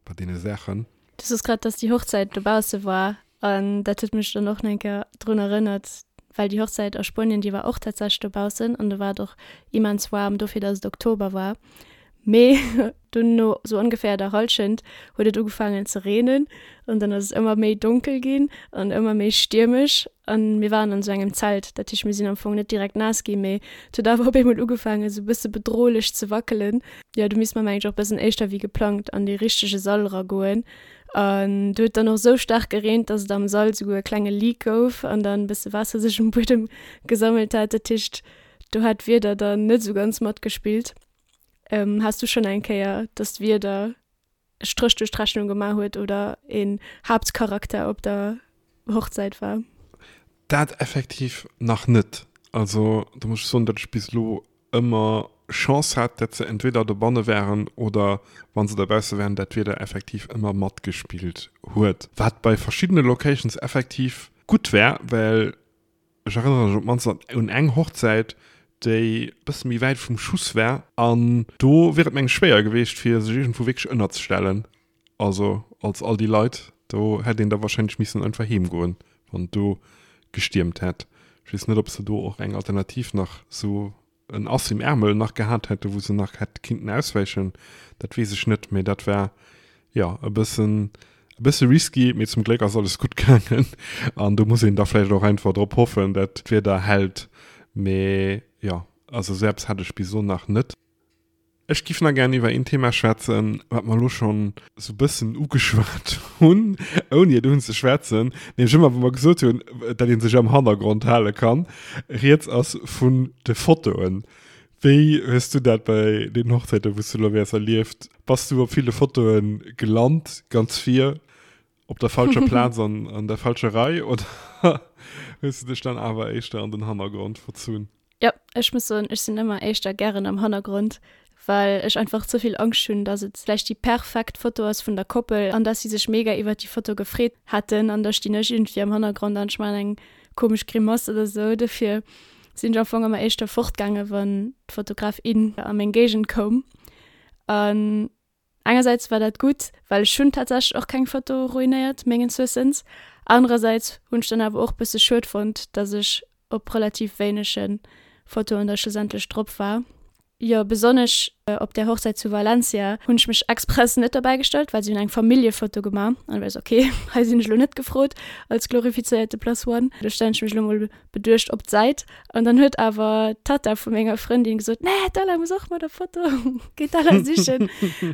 bei deene Saachen. Du soos grad, dass déi Hochzäit dobausse war an dat huet mech dann och nach eng Kéier drun erënnert, well déi Hochzäit a Spuenien, déi war och tatsächlech dobaussen an do war et och immens waarm, dofir dass et Oktober war. Mee dunn no sou ongeféier der Hallschent huet et ugefaangen ze reenen an dann ass et ëmmer méi donkel ginn an ëmmer méi stiermesch an mir waren an sou engem Zelt, dat heescht mir sinn am Fong net direkt naass ginn, mee et huet awer op eemol ugefaangen sou bësse bedrohlech ze wackelen. Jo, do misst mer mengen ech och bëssen éischter wéi geplangt an dee richtege Sall eragoen an do huet dann och sou staark gereent, dass et am Sall souguer e klenge Leak gouf an dann bësse Waasser sech um Buedem gesammelt hat. Dat heescht do hat d'Wieder dann net sou ganz matgespillt. Has du schonn eng Kéier, dass d'Wieder e Stréch duerch d'Rechnung gemaach huet oder een Haaptcharakter op der Hochzäit war? Dat effektiv nach net. Also do muss ech soen, datt ech bis elo ëmmer Chance hat, datt se entweder dobanne waren oder wa se dobausse waren, dat d'Wieder effektiv ëmmer matgespillt huet. Wat bei verschiddene Locations effektiv gutt war, well Ech erënnere mech op d'mannst un eng Hochzäit, déi e bësse méi wäit vum Schuss war. An do wier et meng schwéier geweecht, fir sech iergendwou wierklech ënnerzestellen. Also als all déi Leit, do hätt een da warscheinlech missen einfach heem goen, wann et do gestiermt hätt. Ech weess net, ob se do och eng Alternativ nach sou en Ass im Ärmel nach gehat hätte, wou se nach hätt kinnten auswäichen, dat weess ech net, mee dat war jo e bëssen e bësse risky, mee zum Gléck ass alles gutt gaangen an do muss een da vläicht och einfach drop hoffen, dat d'Wieder hält, mee jo, also esou eppes hat ech bis elo nach net. Ech giff nach gären iwwer een Thema schwätzen, wat mer elo schonn sou bëssen ugeschwat hunn, ouni et unzeschwätzen, nämlech ëmmer wa mer gesot hunn, dat ee sech am Hannergrond hale kann. Rieds ass vun de Fotoen. Wéi hues du dat bei deenen Hochzäiten, wou s du elo wäers, erlieft? Bass du op ville Fotoe gelant, ganz vir, op der falscher Plaz an an der falscher Rei oder hues du dech dann awer éischter an den Hannergrond verzunn? Jo, ech muss soen, ech sinn ëmmer éischter gären am Hannergrond, well ech einfach ze vill Angscht hunn, dass et vläicht déi perfekt Foto ass vun der Koppel an dass si sech mega iwwert déi Foto gefreet hätten an da stinn ech iergendwéi am Hannergrond an ech maachen eng komesch Grimass oder sou. Dofir sinn ech am Fong ëmmer éischter fortgaange wann d'Fotograf, in a meng Géigend koum. An Engersäits war dat gutt, well ech hunn tatsächlech och keng Foto ruinéiert, mengens Wëssens. Anerersäits hunn ech dann awer och bësse schued fonnt, dass ech op relativ wéinege Fotoen da schlussendlech drop war. Jo, besonnesch op där Hochzäit zu Valencia hunn ech mech express net derbäi gestallt, well si hunn eng Familljefoto gemaach an da war ech sou, ok, hei sinn ech elo net gefrot als glorifizéierte Plus One, do stellen ech mech elo mol beduecht op d'Säit an dann huet awer d'Tatta vu menger Frëndin gesot, nee, d'Ella muss och mat op Foto, géi d'Ella sichen.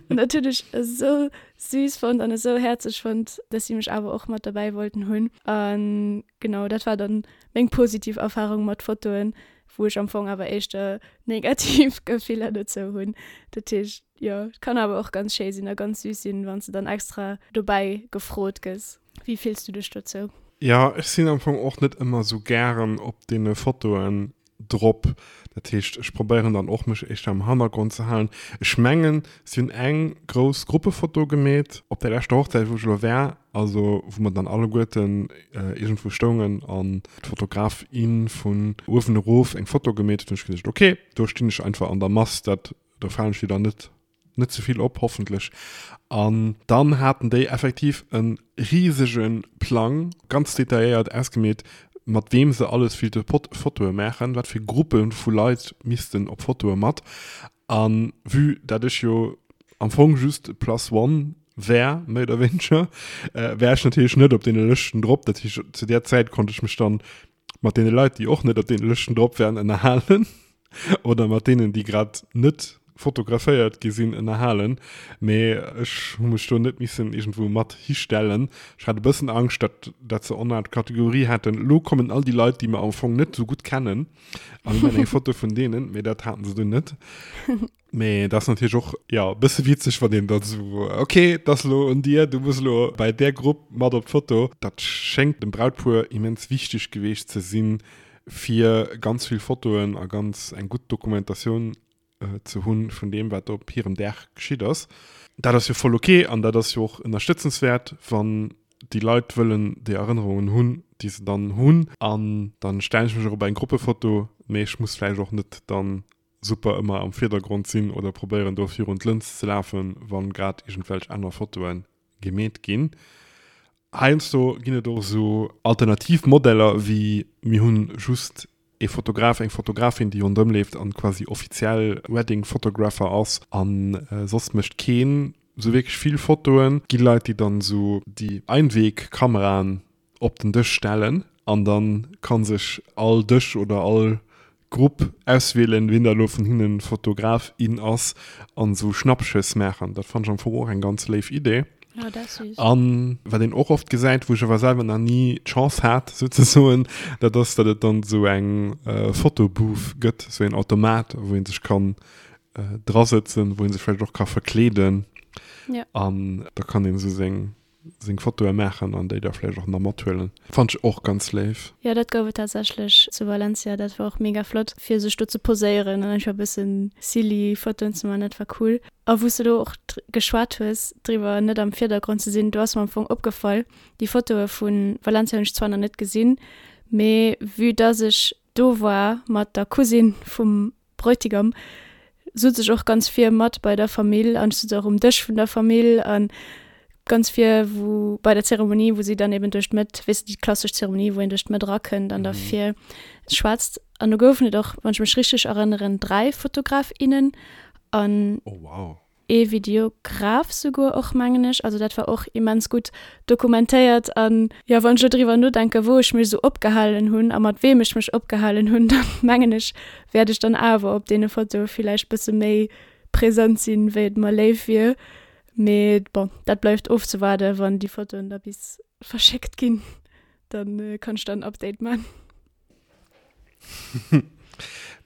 An dat hunn ech esou süß fonnt an esou häerzeg fonnt, dass si mech awer och mat derbäi wollten hunn. An genau, dat war dann meng positiv Erfarung mat Fotoen, wou ech am Fong awer éischter negativ Gefiller dozou hunn. Dat heescht, jo, et kann awer och ganz schéi sinn a ganz süß sinn, wann s de dann extra dobäi gefrot gëss. Wéi fills du dech dozou? Jo, ech sinn am Fong och net ëmmer sou gären op deene Fotoen drop. Dat heescht, ech probéieren dann och mech éischter am Hannergrond ze halen. Ech mengen, si hunn eng grouss Gruppefoto gemeet op der leschter Hochzäit, wou ech elo war, also wou mer dann alleguerten iergendwou stoungen an d'Fotograf, in vun uewen erof eng Foto gemeet huet. Hunn ech geduecht, ok, do stinn ech einfach an der Mass, dat do falen ech jo dann net net ze vill op, hoffentlech. An dann haten déi effektiv e risege Plang, ganz detailléiert ausgemeet, mat weem se alles willte Fotoe maachen, wat fir Gruppe vu Leit missten op Fotoe mat. A vue dat ech jo am Fong just Plus One wär, méi oder wéineger, wär ech natierlech net op deene Lëschten drop. Dat heescht, zu där Zäit konnt ech mech dann mat deene Leit, déi och net op deene Lëschten drop wären, ënnerhalen oder mat deenen, déi grad net fotograféiert gi sinn, ënnerhalen. Mee ech hu mech do net missen iergendwou mat histellen. Ech hat e bëssen Angscht, datt dat se onart Kategorie hätten, Elo kommen all déi Leit, déi mer am Fong net esou gutt kennen, a mir maachen eng Foto vun deenen. Mee dat haten se dunn net. Mee dat ass natierlech och, jo, e bësse witzeg, wann een dann esou, ok, et ass elo un dir, du muss elo bei där Grupp mat op d'Foto. Dat schéngt dem Brautpuer immens wichteg geweecht ze sinn, fir ganz vill Fotoen a ganz eng gutt Dokumentatioun ze hunn vun deem, wat op hirem Dag geschitt ass. Dat ass jo voll ok an dat ass jo och ënnerstëtzenswäert, wann déi Leit wëllen déi Erënnerungen hunn, déi se dann hunn. An dann stellen ech mech och op eng Gruppefoto, mee ech muss vläicht och net dann super ëmmer am Virdergrond sinn oder probéieren do virun d'Lëns ze lafen, wann grad iergendwelch aner Fotoen. Gemeet ginn. Heiansdo ginn et och esou alternativ Modeller wéi mir hunn just ee Fotograf, eng Fotografin, déi ronderëm leeft an quasi offiziell Wedding Photographer ass an soss mécht keen esou wierklech vill Fotoen. Gi Leit, déi dann esou déi Einwegkameraen op den Dësch stellen an dann kann sech all Dësch oder all Grupp auswielen, wien da lo vun hinnen Fotograf, in ass an sou Schnappschëss maachen. Dat fannen ech am Fong och eng ganz léif Idee. Oh, dat ass süß. An wat een och oft gesäit, wou ech awer selwer nach ni d'Chance hat souzesoen, dat ass, datt et dann sou eng Fotobooth gëtt, sou een Automat, wou een sech kann drasëtzen, wou een sech vläicht och ka verkleeden. Ja. An da kann een sou seng seng Fotoe maachen an déi da vläicht och nach mathuelen. Fannt ech och ganz léif. Jo, dat gouf et tatsächlech zu Valencia. Dat war och mega flott, fir sech do ze poséieren an einfach e bëssen silly Fotoen ze maachen. Dat war cool. A wou s de do och geschwat hues driwwer, net am Virdergrond ze sinn, do ass mer am Fong opgefall, déi Fotoe vu Valencia hunn ech zwar nach net gesinn, mee vue dass ech do war mat der Cousine vum Bräutigam sutz ech och ganz vir mat bei der Famill an ech sutz och um Dësch vun der Famill an ganz vir wou bei der Zeremonie, wou si dann eben duerch d'Mëtt, weess de déi klassesch Zeremonie, wou een duerch d'Mëtt erakënnt an da vir schwätzt. An do goufen et och, wann ech mech richteg erënneren, 3 Fotograf, innen an. Oh wow. Ee Videograf souguer och, mengen ech. Also dat war och immens gutt dokumentéiert. An jo, wann ech elo driwwer nodenken, wou ech mech esou opgehalen hunn a mat weem ech mech opgehalen hunn, da mengen ech, wäert ech dann awer op deene Fotoe villäicht bësse méi present sinn, wéi et mer léif wier. Mee bon, dat bleift ofzewaarden, wann déi Fotoen da bis verschéckt ginn, da kann ech dann en Update man.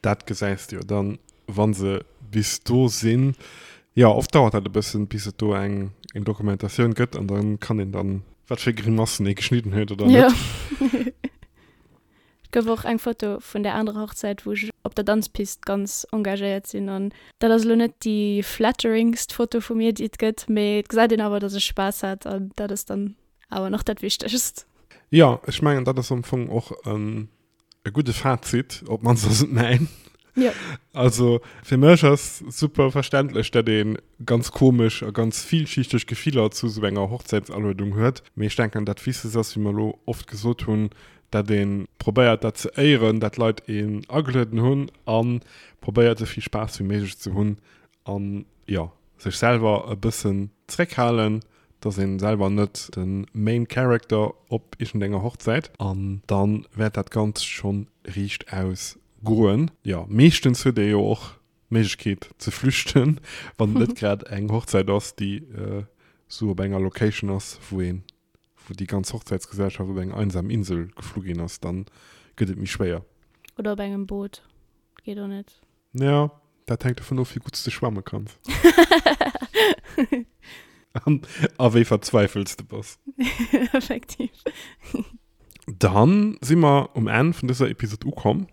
Dat gesäis de jo dann, wa se bis do sinn. Jo, oft dauert dat e bëssen, bis et do eng eng Dokumentatioun gëtt an dann kann een dann, wat fir Grimassen ee geschnidden huet oder net. Jo. Et gouf och eng Foto vun där anerer Hochzäit, wou ech op der Danzpist ganz engagéiert sinn an dat ass elo net déi flatteringst Foto vu mir, déi et gëtt, mee et gesäit een awer, dass ech Spaass hat an dat ass dann Awer nach dat Wichtegst. Jo, ech mengen, dat ass am Fong och e gudde Fazit, op d'mannst ass et mäin. Jo. Also fir mech ass super verständlech, dat ee ganz komesch a ganz villschichteg Gefiller zu esou enger Hochzäitsaluedung huet. Mee ech denken, dat Wichtegst ass, wéi mer elo oft gesot hunn, dat ee probéiert dat ze éieren, dat d'Leit een agelueden hunn a probéiert esou vill Spaass wéi méiglech ze hunn an, jo, sech selwer e bëssen zréckhalen, dass een selwer net den Main Character op iergendenger Hochzäit an dann wäert dat Ganzt schon riicht aus goen. Jo, meeschtens huet ee jo och d'Méiglechkeet ze flüchten, wann et net grad eng Hochzäit ass, déi sou op enger Location ass, wou een, wou déi ganz Hochzäitsgesellschaft op eng einsam Insel geflu ginn ass, dann gëtt et méi schwéier. Oder op engem Boot, geet och net. Ja, dat hänkt dovun of, wéi gutt s de schwamme kanns. An, a wéi verzweifelt s de bass. Effektiv. Dann si mer um Enn vun dëser Episod ukomm.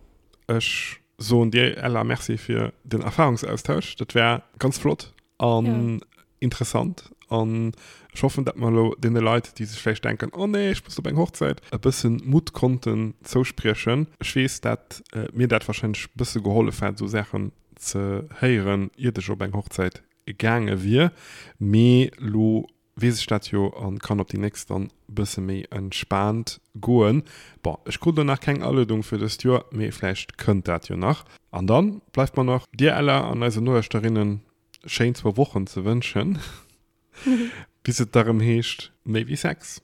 Ech soen dir, Ella, Merci fir den Erfahrungsaustausch. Dat war ganz flott an Ja. interessant. An ech hoffen, dat mer elo deene Leit, déi sech vläicht denken, oh nee, ech muss op eng Hochzäit, e bëssen Mutt konnten zouspriechen. Ech weess, dat mir dat warscheinlech e bësse gehollef hätt, esou Saachen ze héieren, iert ech op eng Hochzäit gaange wier. Mee elo weess ech dat jo a kann op déi nächst dann e bësse méi entspaant goen. Bon, ech krut elo nach keng Aluedung fir dëst Joer, mee vläicht kënnt dat jo nach. An dann bleift mer nach dir, Ella, an eisen Nolauschterinnen schéin zwou Wochen ze wënschen, bis et da rëm heescht Méi wéi Sex.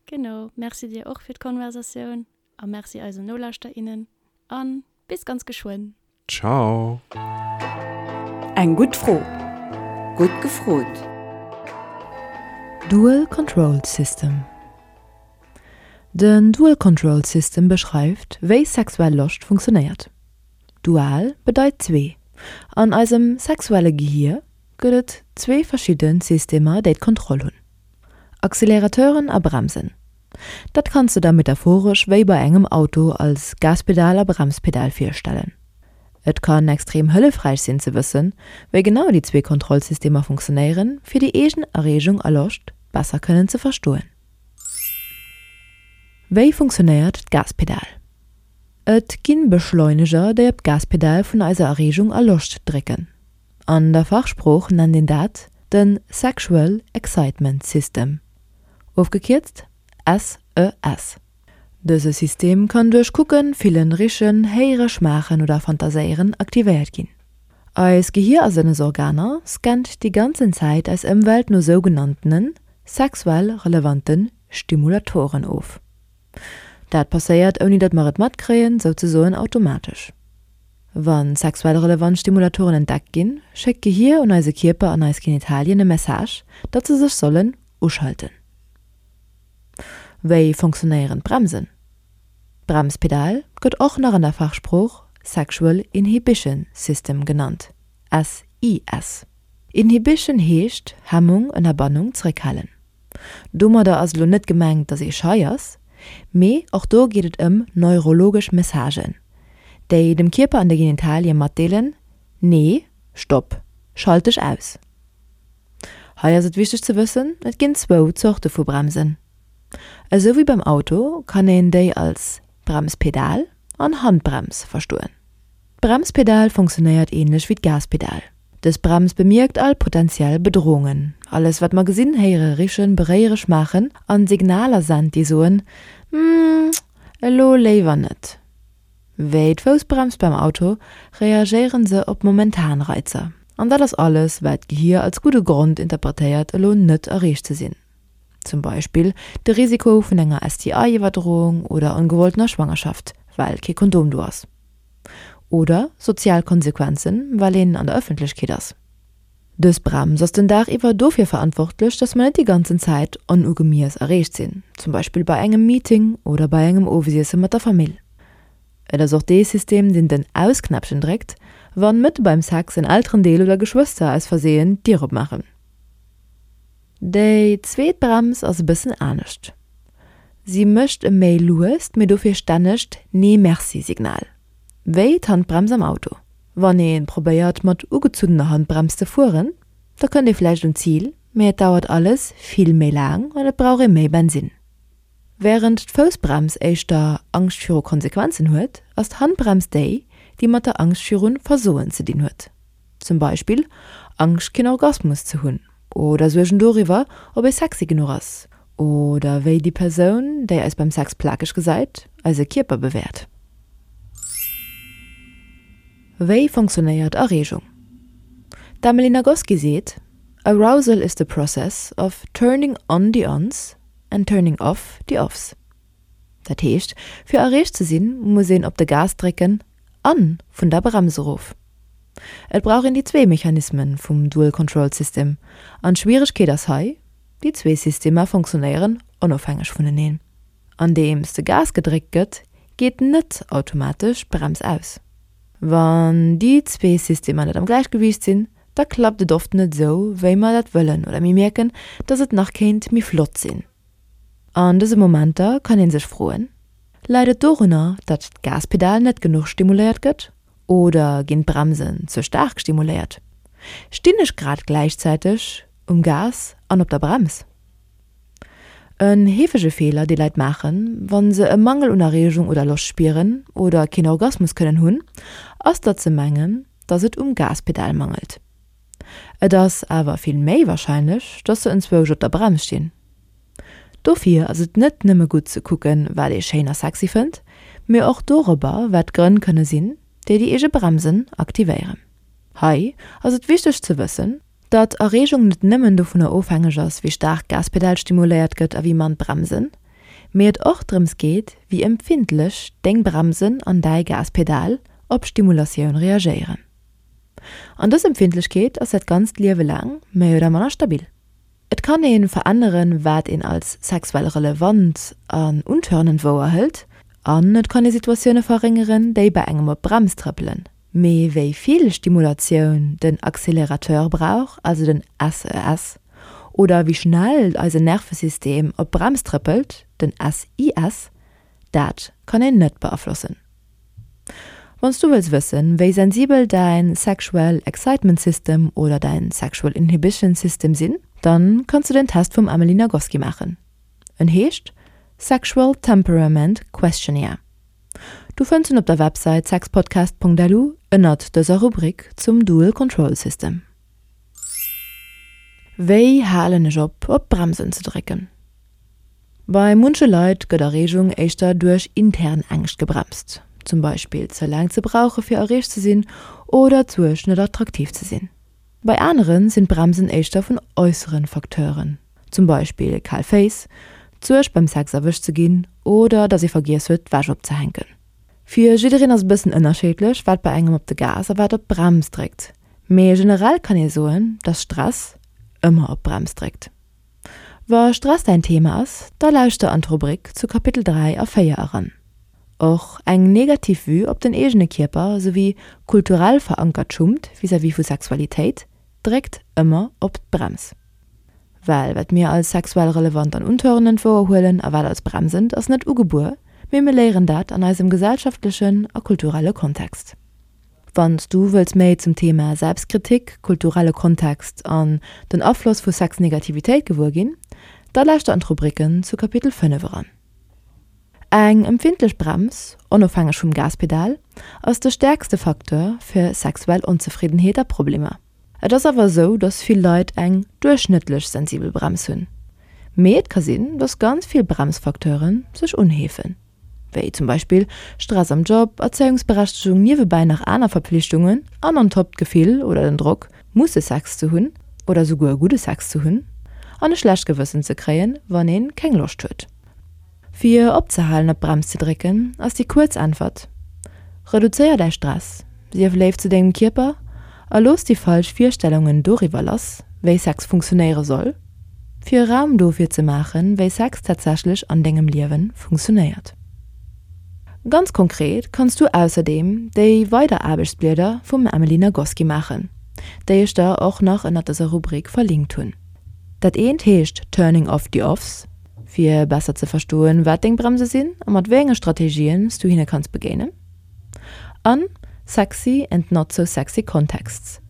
Genau, merci dir och fir d'Konversatioun a merci eisen Nolauschter, innen a bis ganz geschwënn. Ciao. Eng gutt Fro, gutt gefrot. Dual Control System Den Dual Control System beschreift, wéi sexuell Loscht funktionéiert. Dual bedeit zwee. An eisem sexuelle Gehier gëtt et zwee verschidde Systemer, déi d'Kontroll hunn, Accelerateuren a Bremsen. Dat kanns de der metaphoresch wéi bei engem Auto als Gaspedal a Bremspedal virstellen. Et kann extrem hëllefräich sinn ze wëssen, wéi genau déi zwee Kontrollsystemer funktionéieren, fir déi eegen Erreegung a Loscht besser kënnen ze verstoen. Wéi funktionéiert d'Gaspedal? Et ginn Beschleuneger, déi op d'Gaspedal vun eiser Erreegung a Loscht drécken. An der Fachsprooch nennt een dat. De Sexual Excitement System, ofgekierzt SES. Dëse System kann duerch Kucken, Fillen, Richen, Héiere, Schmaachen oder Fantaséieren aktivéiert ginn. Eis Gehier a Sënnesorganer scannt déi ganzen Zäit eis Ëmwelt no sougenanntene sexuell relevante Stimulatoren of. Dat passéiert ouni datt mer et matkréien, souzesoen automatesch. Wa sexuell relevant Stimulatoren entdeckt ginn, schéckt d'Gehier un eise Kierper an eis Genitalien e Message, datt se sech sollen uschalten. Wéi funktionéieren d'Bremsen? D'Bremspedal gëtt och nach an der Fachsprooch Sexual Inhibition System genannt, SIS. Inhibition heescht Hemmung, Ënnerbannung, Zréckhalen. Domadder ass elo net gemengt, datt ee schei ass, mee och do geet et ëm neurologesch Messagen, déi dem Kierper an de Genitalie matdeelen, Nee, stopp, schalt dech aus. Hei ass et wichteg ze wëssen, et ginn zwou Zorte vu Bremsen. Esou wéi beim Auto kann een déi als Bremspedal an Handbrems verstoen. D'Bremspedal funktionéiert änlech wéi d'Gaspedal. Dës Brems bemierkt all potentiell Bedrohungen, alles wat mer gesinn, héiere, richen, beréiere, schmaachen, an Signaler sent déi soen, Hm, elo léiwer net. Wéi d'Foussbrems beim Auto reagéieren se op momentan Reizer. An dat ass alles, wat d'Gehier als gudde Grond interpretéiert elo net erreecht ze sinn. Zum Beispill de Risiko vun enger STI-Iwwerdroung oder ongewolltener Schwangerschaft, well kee Kondom do ass. Oder sozial Konsequenzen, well een an der Ëffentlechkeet ass. Dës Brems ass den Dag iwwer dofir verantwortlech, dass mer net déi ganzen Zäit onugemiess erreecht sinn, zum Beispill bei engem Meeting oder bei engem Owesiesse mat der Famill. Et ass och dee System, deen den Aus-Knäppchen dréckt, wann mëtte beim Sex en Elterendeel oder Geschwëster aus Versehen d'Dier opmaachen. Déi zweet Brems ass e bëssen anescht. Si mécht e méi luest, mee dofir stännegt Nee-Merci-Signal, wéi d'Handbrems am Auto. Wann ee probéiert mat ugezunnener Handbrems ze fueren, da kënnt ee vläicht un d'Zil, mee et dauert alles vill méi laang an et brauch ee méi Bensinn. Wärend d'Foussbrems éischter Angscht viru Konsequenzen huet, ass d'Handbrems déi, déi mat der Angscht virun Versoen ze dinn huet. Zum Beispill Angscht keen Orgasmus ze hunn oder Suergen doriwwer, ob ee sexy genuch ass oder wéi déi Persoun, déi eis beim Sex plakeg gesäit, eise Kierper bewäert. Wéi funktionéiert Erreegung? D'Emily Nagoski seet, Arousal is the process of turning on the ons and turning off the offs. Dat heescht, fir erreegt ze sinn, muss een op de Gas drécken an vun der Brems erof. Et brauch een déi zwee Mechanismen vum Dual Control System an d'Schwieregkeet ass hei, déi zwee Systemer funktionéieren onofhängeg vuneneen. Andeems de Gas gedréckt gëtt, geet net automatesch d'Brems aus. Wann déi zwee Systemer net am Gläichgewiicht sinn, da klappt et oft net esou, wéi mer dat wëllen oder mir mierken, dass et nach kéint méi flott sinn. An dëse Momenter kann ee sech froen, Läit et dorunner, datt d'Gaspedal net genuch stimuléiert gëtt oder ginn d'Bremsen ze staark stimuléiert? Stinn ech grad gläichzäiteg um Gas an op der Brems? En heefege Feeler, dee Leit maachen, wa se e Mangel un Erreegung oder Loscht spieren oder keen Orgasmus kënnen hunn, ass, datt se mengen, datt et um Gaspedal mangelt. Et ass awer vill méi warscheinlech, dass se enzwousch op der Brems stinn. Dofir ass et net nëmme gutt ze kucken, wat ee schéin a sexy fënnt, mee och dorobber, wat d'Grënn kënne sinn, déi déi eege Bremsen aktivéieren. Hei ass et wichteg ze wëssen, datt Erreegung net nëmmen dovunner ofhängeg ass, wéi staark d'Gaspedal stimuléiert gëtt a wéi mann d'Bremsen, mee et och drëms geet, wéi empfindlech deng Bremsen an däi Gaspedal op Stimulatioun reagéieren. An dës Empfindlechkeet ass dat ganzt Liewe laang méi oder manner stabil. Et kann ee veränneren, wat een als sexuell relevant an untörnend wouerhëlt, an et kann ee Situatioune verréngeren, déi bei engem op d'Brems trëppelen. Mee wéi vill Stimulatioun den Accélerateur brauch, also den SES, oder wéi schnell eisen Nervesystem op d'Brems trëppelt, den SIS, dat kann een net beaflossen. Wann s du wëlls wëssen, wéi sensibel däin Sexual Excitement System oder däin Sexual Inhibition System sinn, dann kanns du den Test vum Emily Nagoski maachen. En heescht Sexual Temperament Questionnaire. Du fënns en op der Websäit sexpodcast.lu ënnert dëser Rubrik zum Dual Control System. Wéi halen ech op, op d'Bremsen ze drécken? Bei munche Leit gëtt Erreegung éischter duerch intern Ängscht gebremst, zum Beispill ze laang ze brauche fir erreecht ze sinn oder d'Suerg net attraktiv ze sinn. Bei anere sinn d'Bremsen éischter vun äussere Facteuren, zum Beispill kal Féiss, d'Suerg beim Sex erwëscht ze ginn oder datt ee vergiess huet d'Wäsch opzehänken. Fir jiddereen ass e bëssen ënnerscheedlech wat bei engem op de Gas a wat op d'Brems dréckt, mee generell kann ee soen, datt Stress ëmmer op d'Brems dréckt. Wa Stress däin Thema ass, da lauschter an d'Rubrik zu Kapitel 3 a 4 eran. Och eng negativ Vue op den eegene Kierper souwéi kulturell verankert Schummt vis-à-vis vu Sexualitéit dréckt ëmmer op d'Brems. Well wat mir als sexuell relevant an untörnend wouerhuelen a wat als bremsend, ass net ugebuer, mee mir léieren dat an eisem gesellschaftlechen a kulturelle Kontext. Wann s du wëlls méi zum Thema Selbstkritik, kulturelle Kontext an den Afloss vu Sexnegativitéit gewuer ginn, da lauschter an d'Rubriken zu Kapitel 5 eran. Eng empfindlech Brems, onofhängeg vum Gaspedal, ass de stäerkste Facteur fir sexuell Onzefriddenheet a Problemer. Et ass awer esou, dass vill Leit eng duerchschnëttlech sensibel Brems hunn. Mee et ka sinn, dass ganz vill Bremsfacteure sech unheefen. Wéi zum Beispill Stress am Job, Erzéiungsberechtegung, niewebäi nach aner Verpflichtungen an on top d'Gefill oder den Drock, musse Sex ze hunn oder souguer gudde Sex ze hunn an e schlecht Gewëssen ze kréien, wann een keng Loscht huet. Fir opzehalen op d'Brems ze drécken, ass déi kuerz Äntwert, Reduzéier däi Stress, sief léif zu dengem Kierper a looss déi falsch Virstellungen doriwwer lass, wéi Sex funktionéiere soll. Fir Raum dofir ze maachen, wéi Sex tatsächlech an dengem Liewen funktionéiert. Ganz konkret kanns du ausserdeem déi weider Aarbechtsblieder vum Emily Nagoski maachen, déi ech der och nach ënnert dëser Rubrik verlinkt hunn. Dat eent heescht Turning off the offs, fir besser ze verstoen, wat deng Bremse sinn a mat wéi enge Strategien s du hinne kanns begéinen. An Sexy and not so sexy contexts,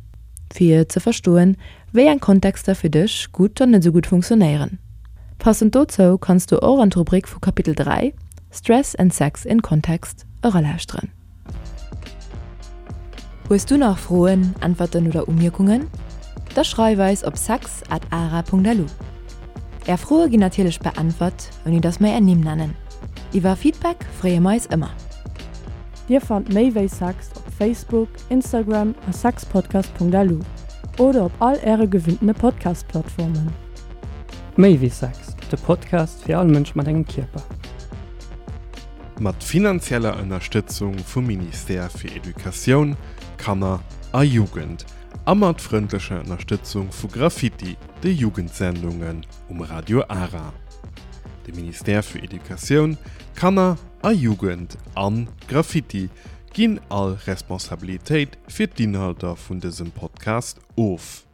fir ze verstoen, wéi eng Kontexter fir dech gutt an net esou gutt funktionéieren. Passend dozou kanns du och an d'Rubrik vu Kapitel 3, Stress and sex in context, eralauschteren. Hues du nach Froen, Äntwerten oder Umierkungen? Da schreif eis op sex at ara.lu. Är Froe ginn natierlech beäntwert, ouni dass mer är Nimm nennen. Iwwer Feedback freeë mer eis ëmmer. Dir fannt méi wéi Sex op Facebook, Instagram a sexpodcast.lu oder op all äre gewinntene Podcast-Plattformen. Méi wéi Sex, de Podcast fir all Mënsch mat engem Kierper. Mat finanzieller Ënnerstëtzung vum Ministère fir Educatioun, Kanner a Jugend a mat frëndlecher Ënnerstëtzung vu Graffiti, de Jugendsendungen um Radio Ara. De Ministère fir Educatioun, Kanner a Jugend an Graffiti ginn all Responsabilitéit fir d'Inhalter vun dësem Podcast of.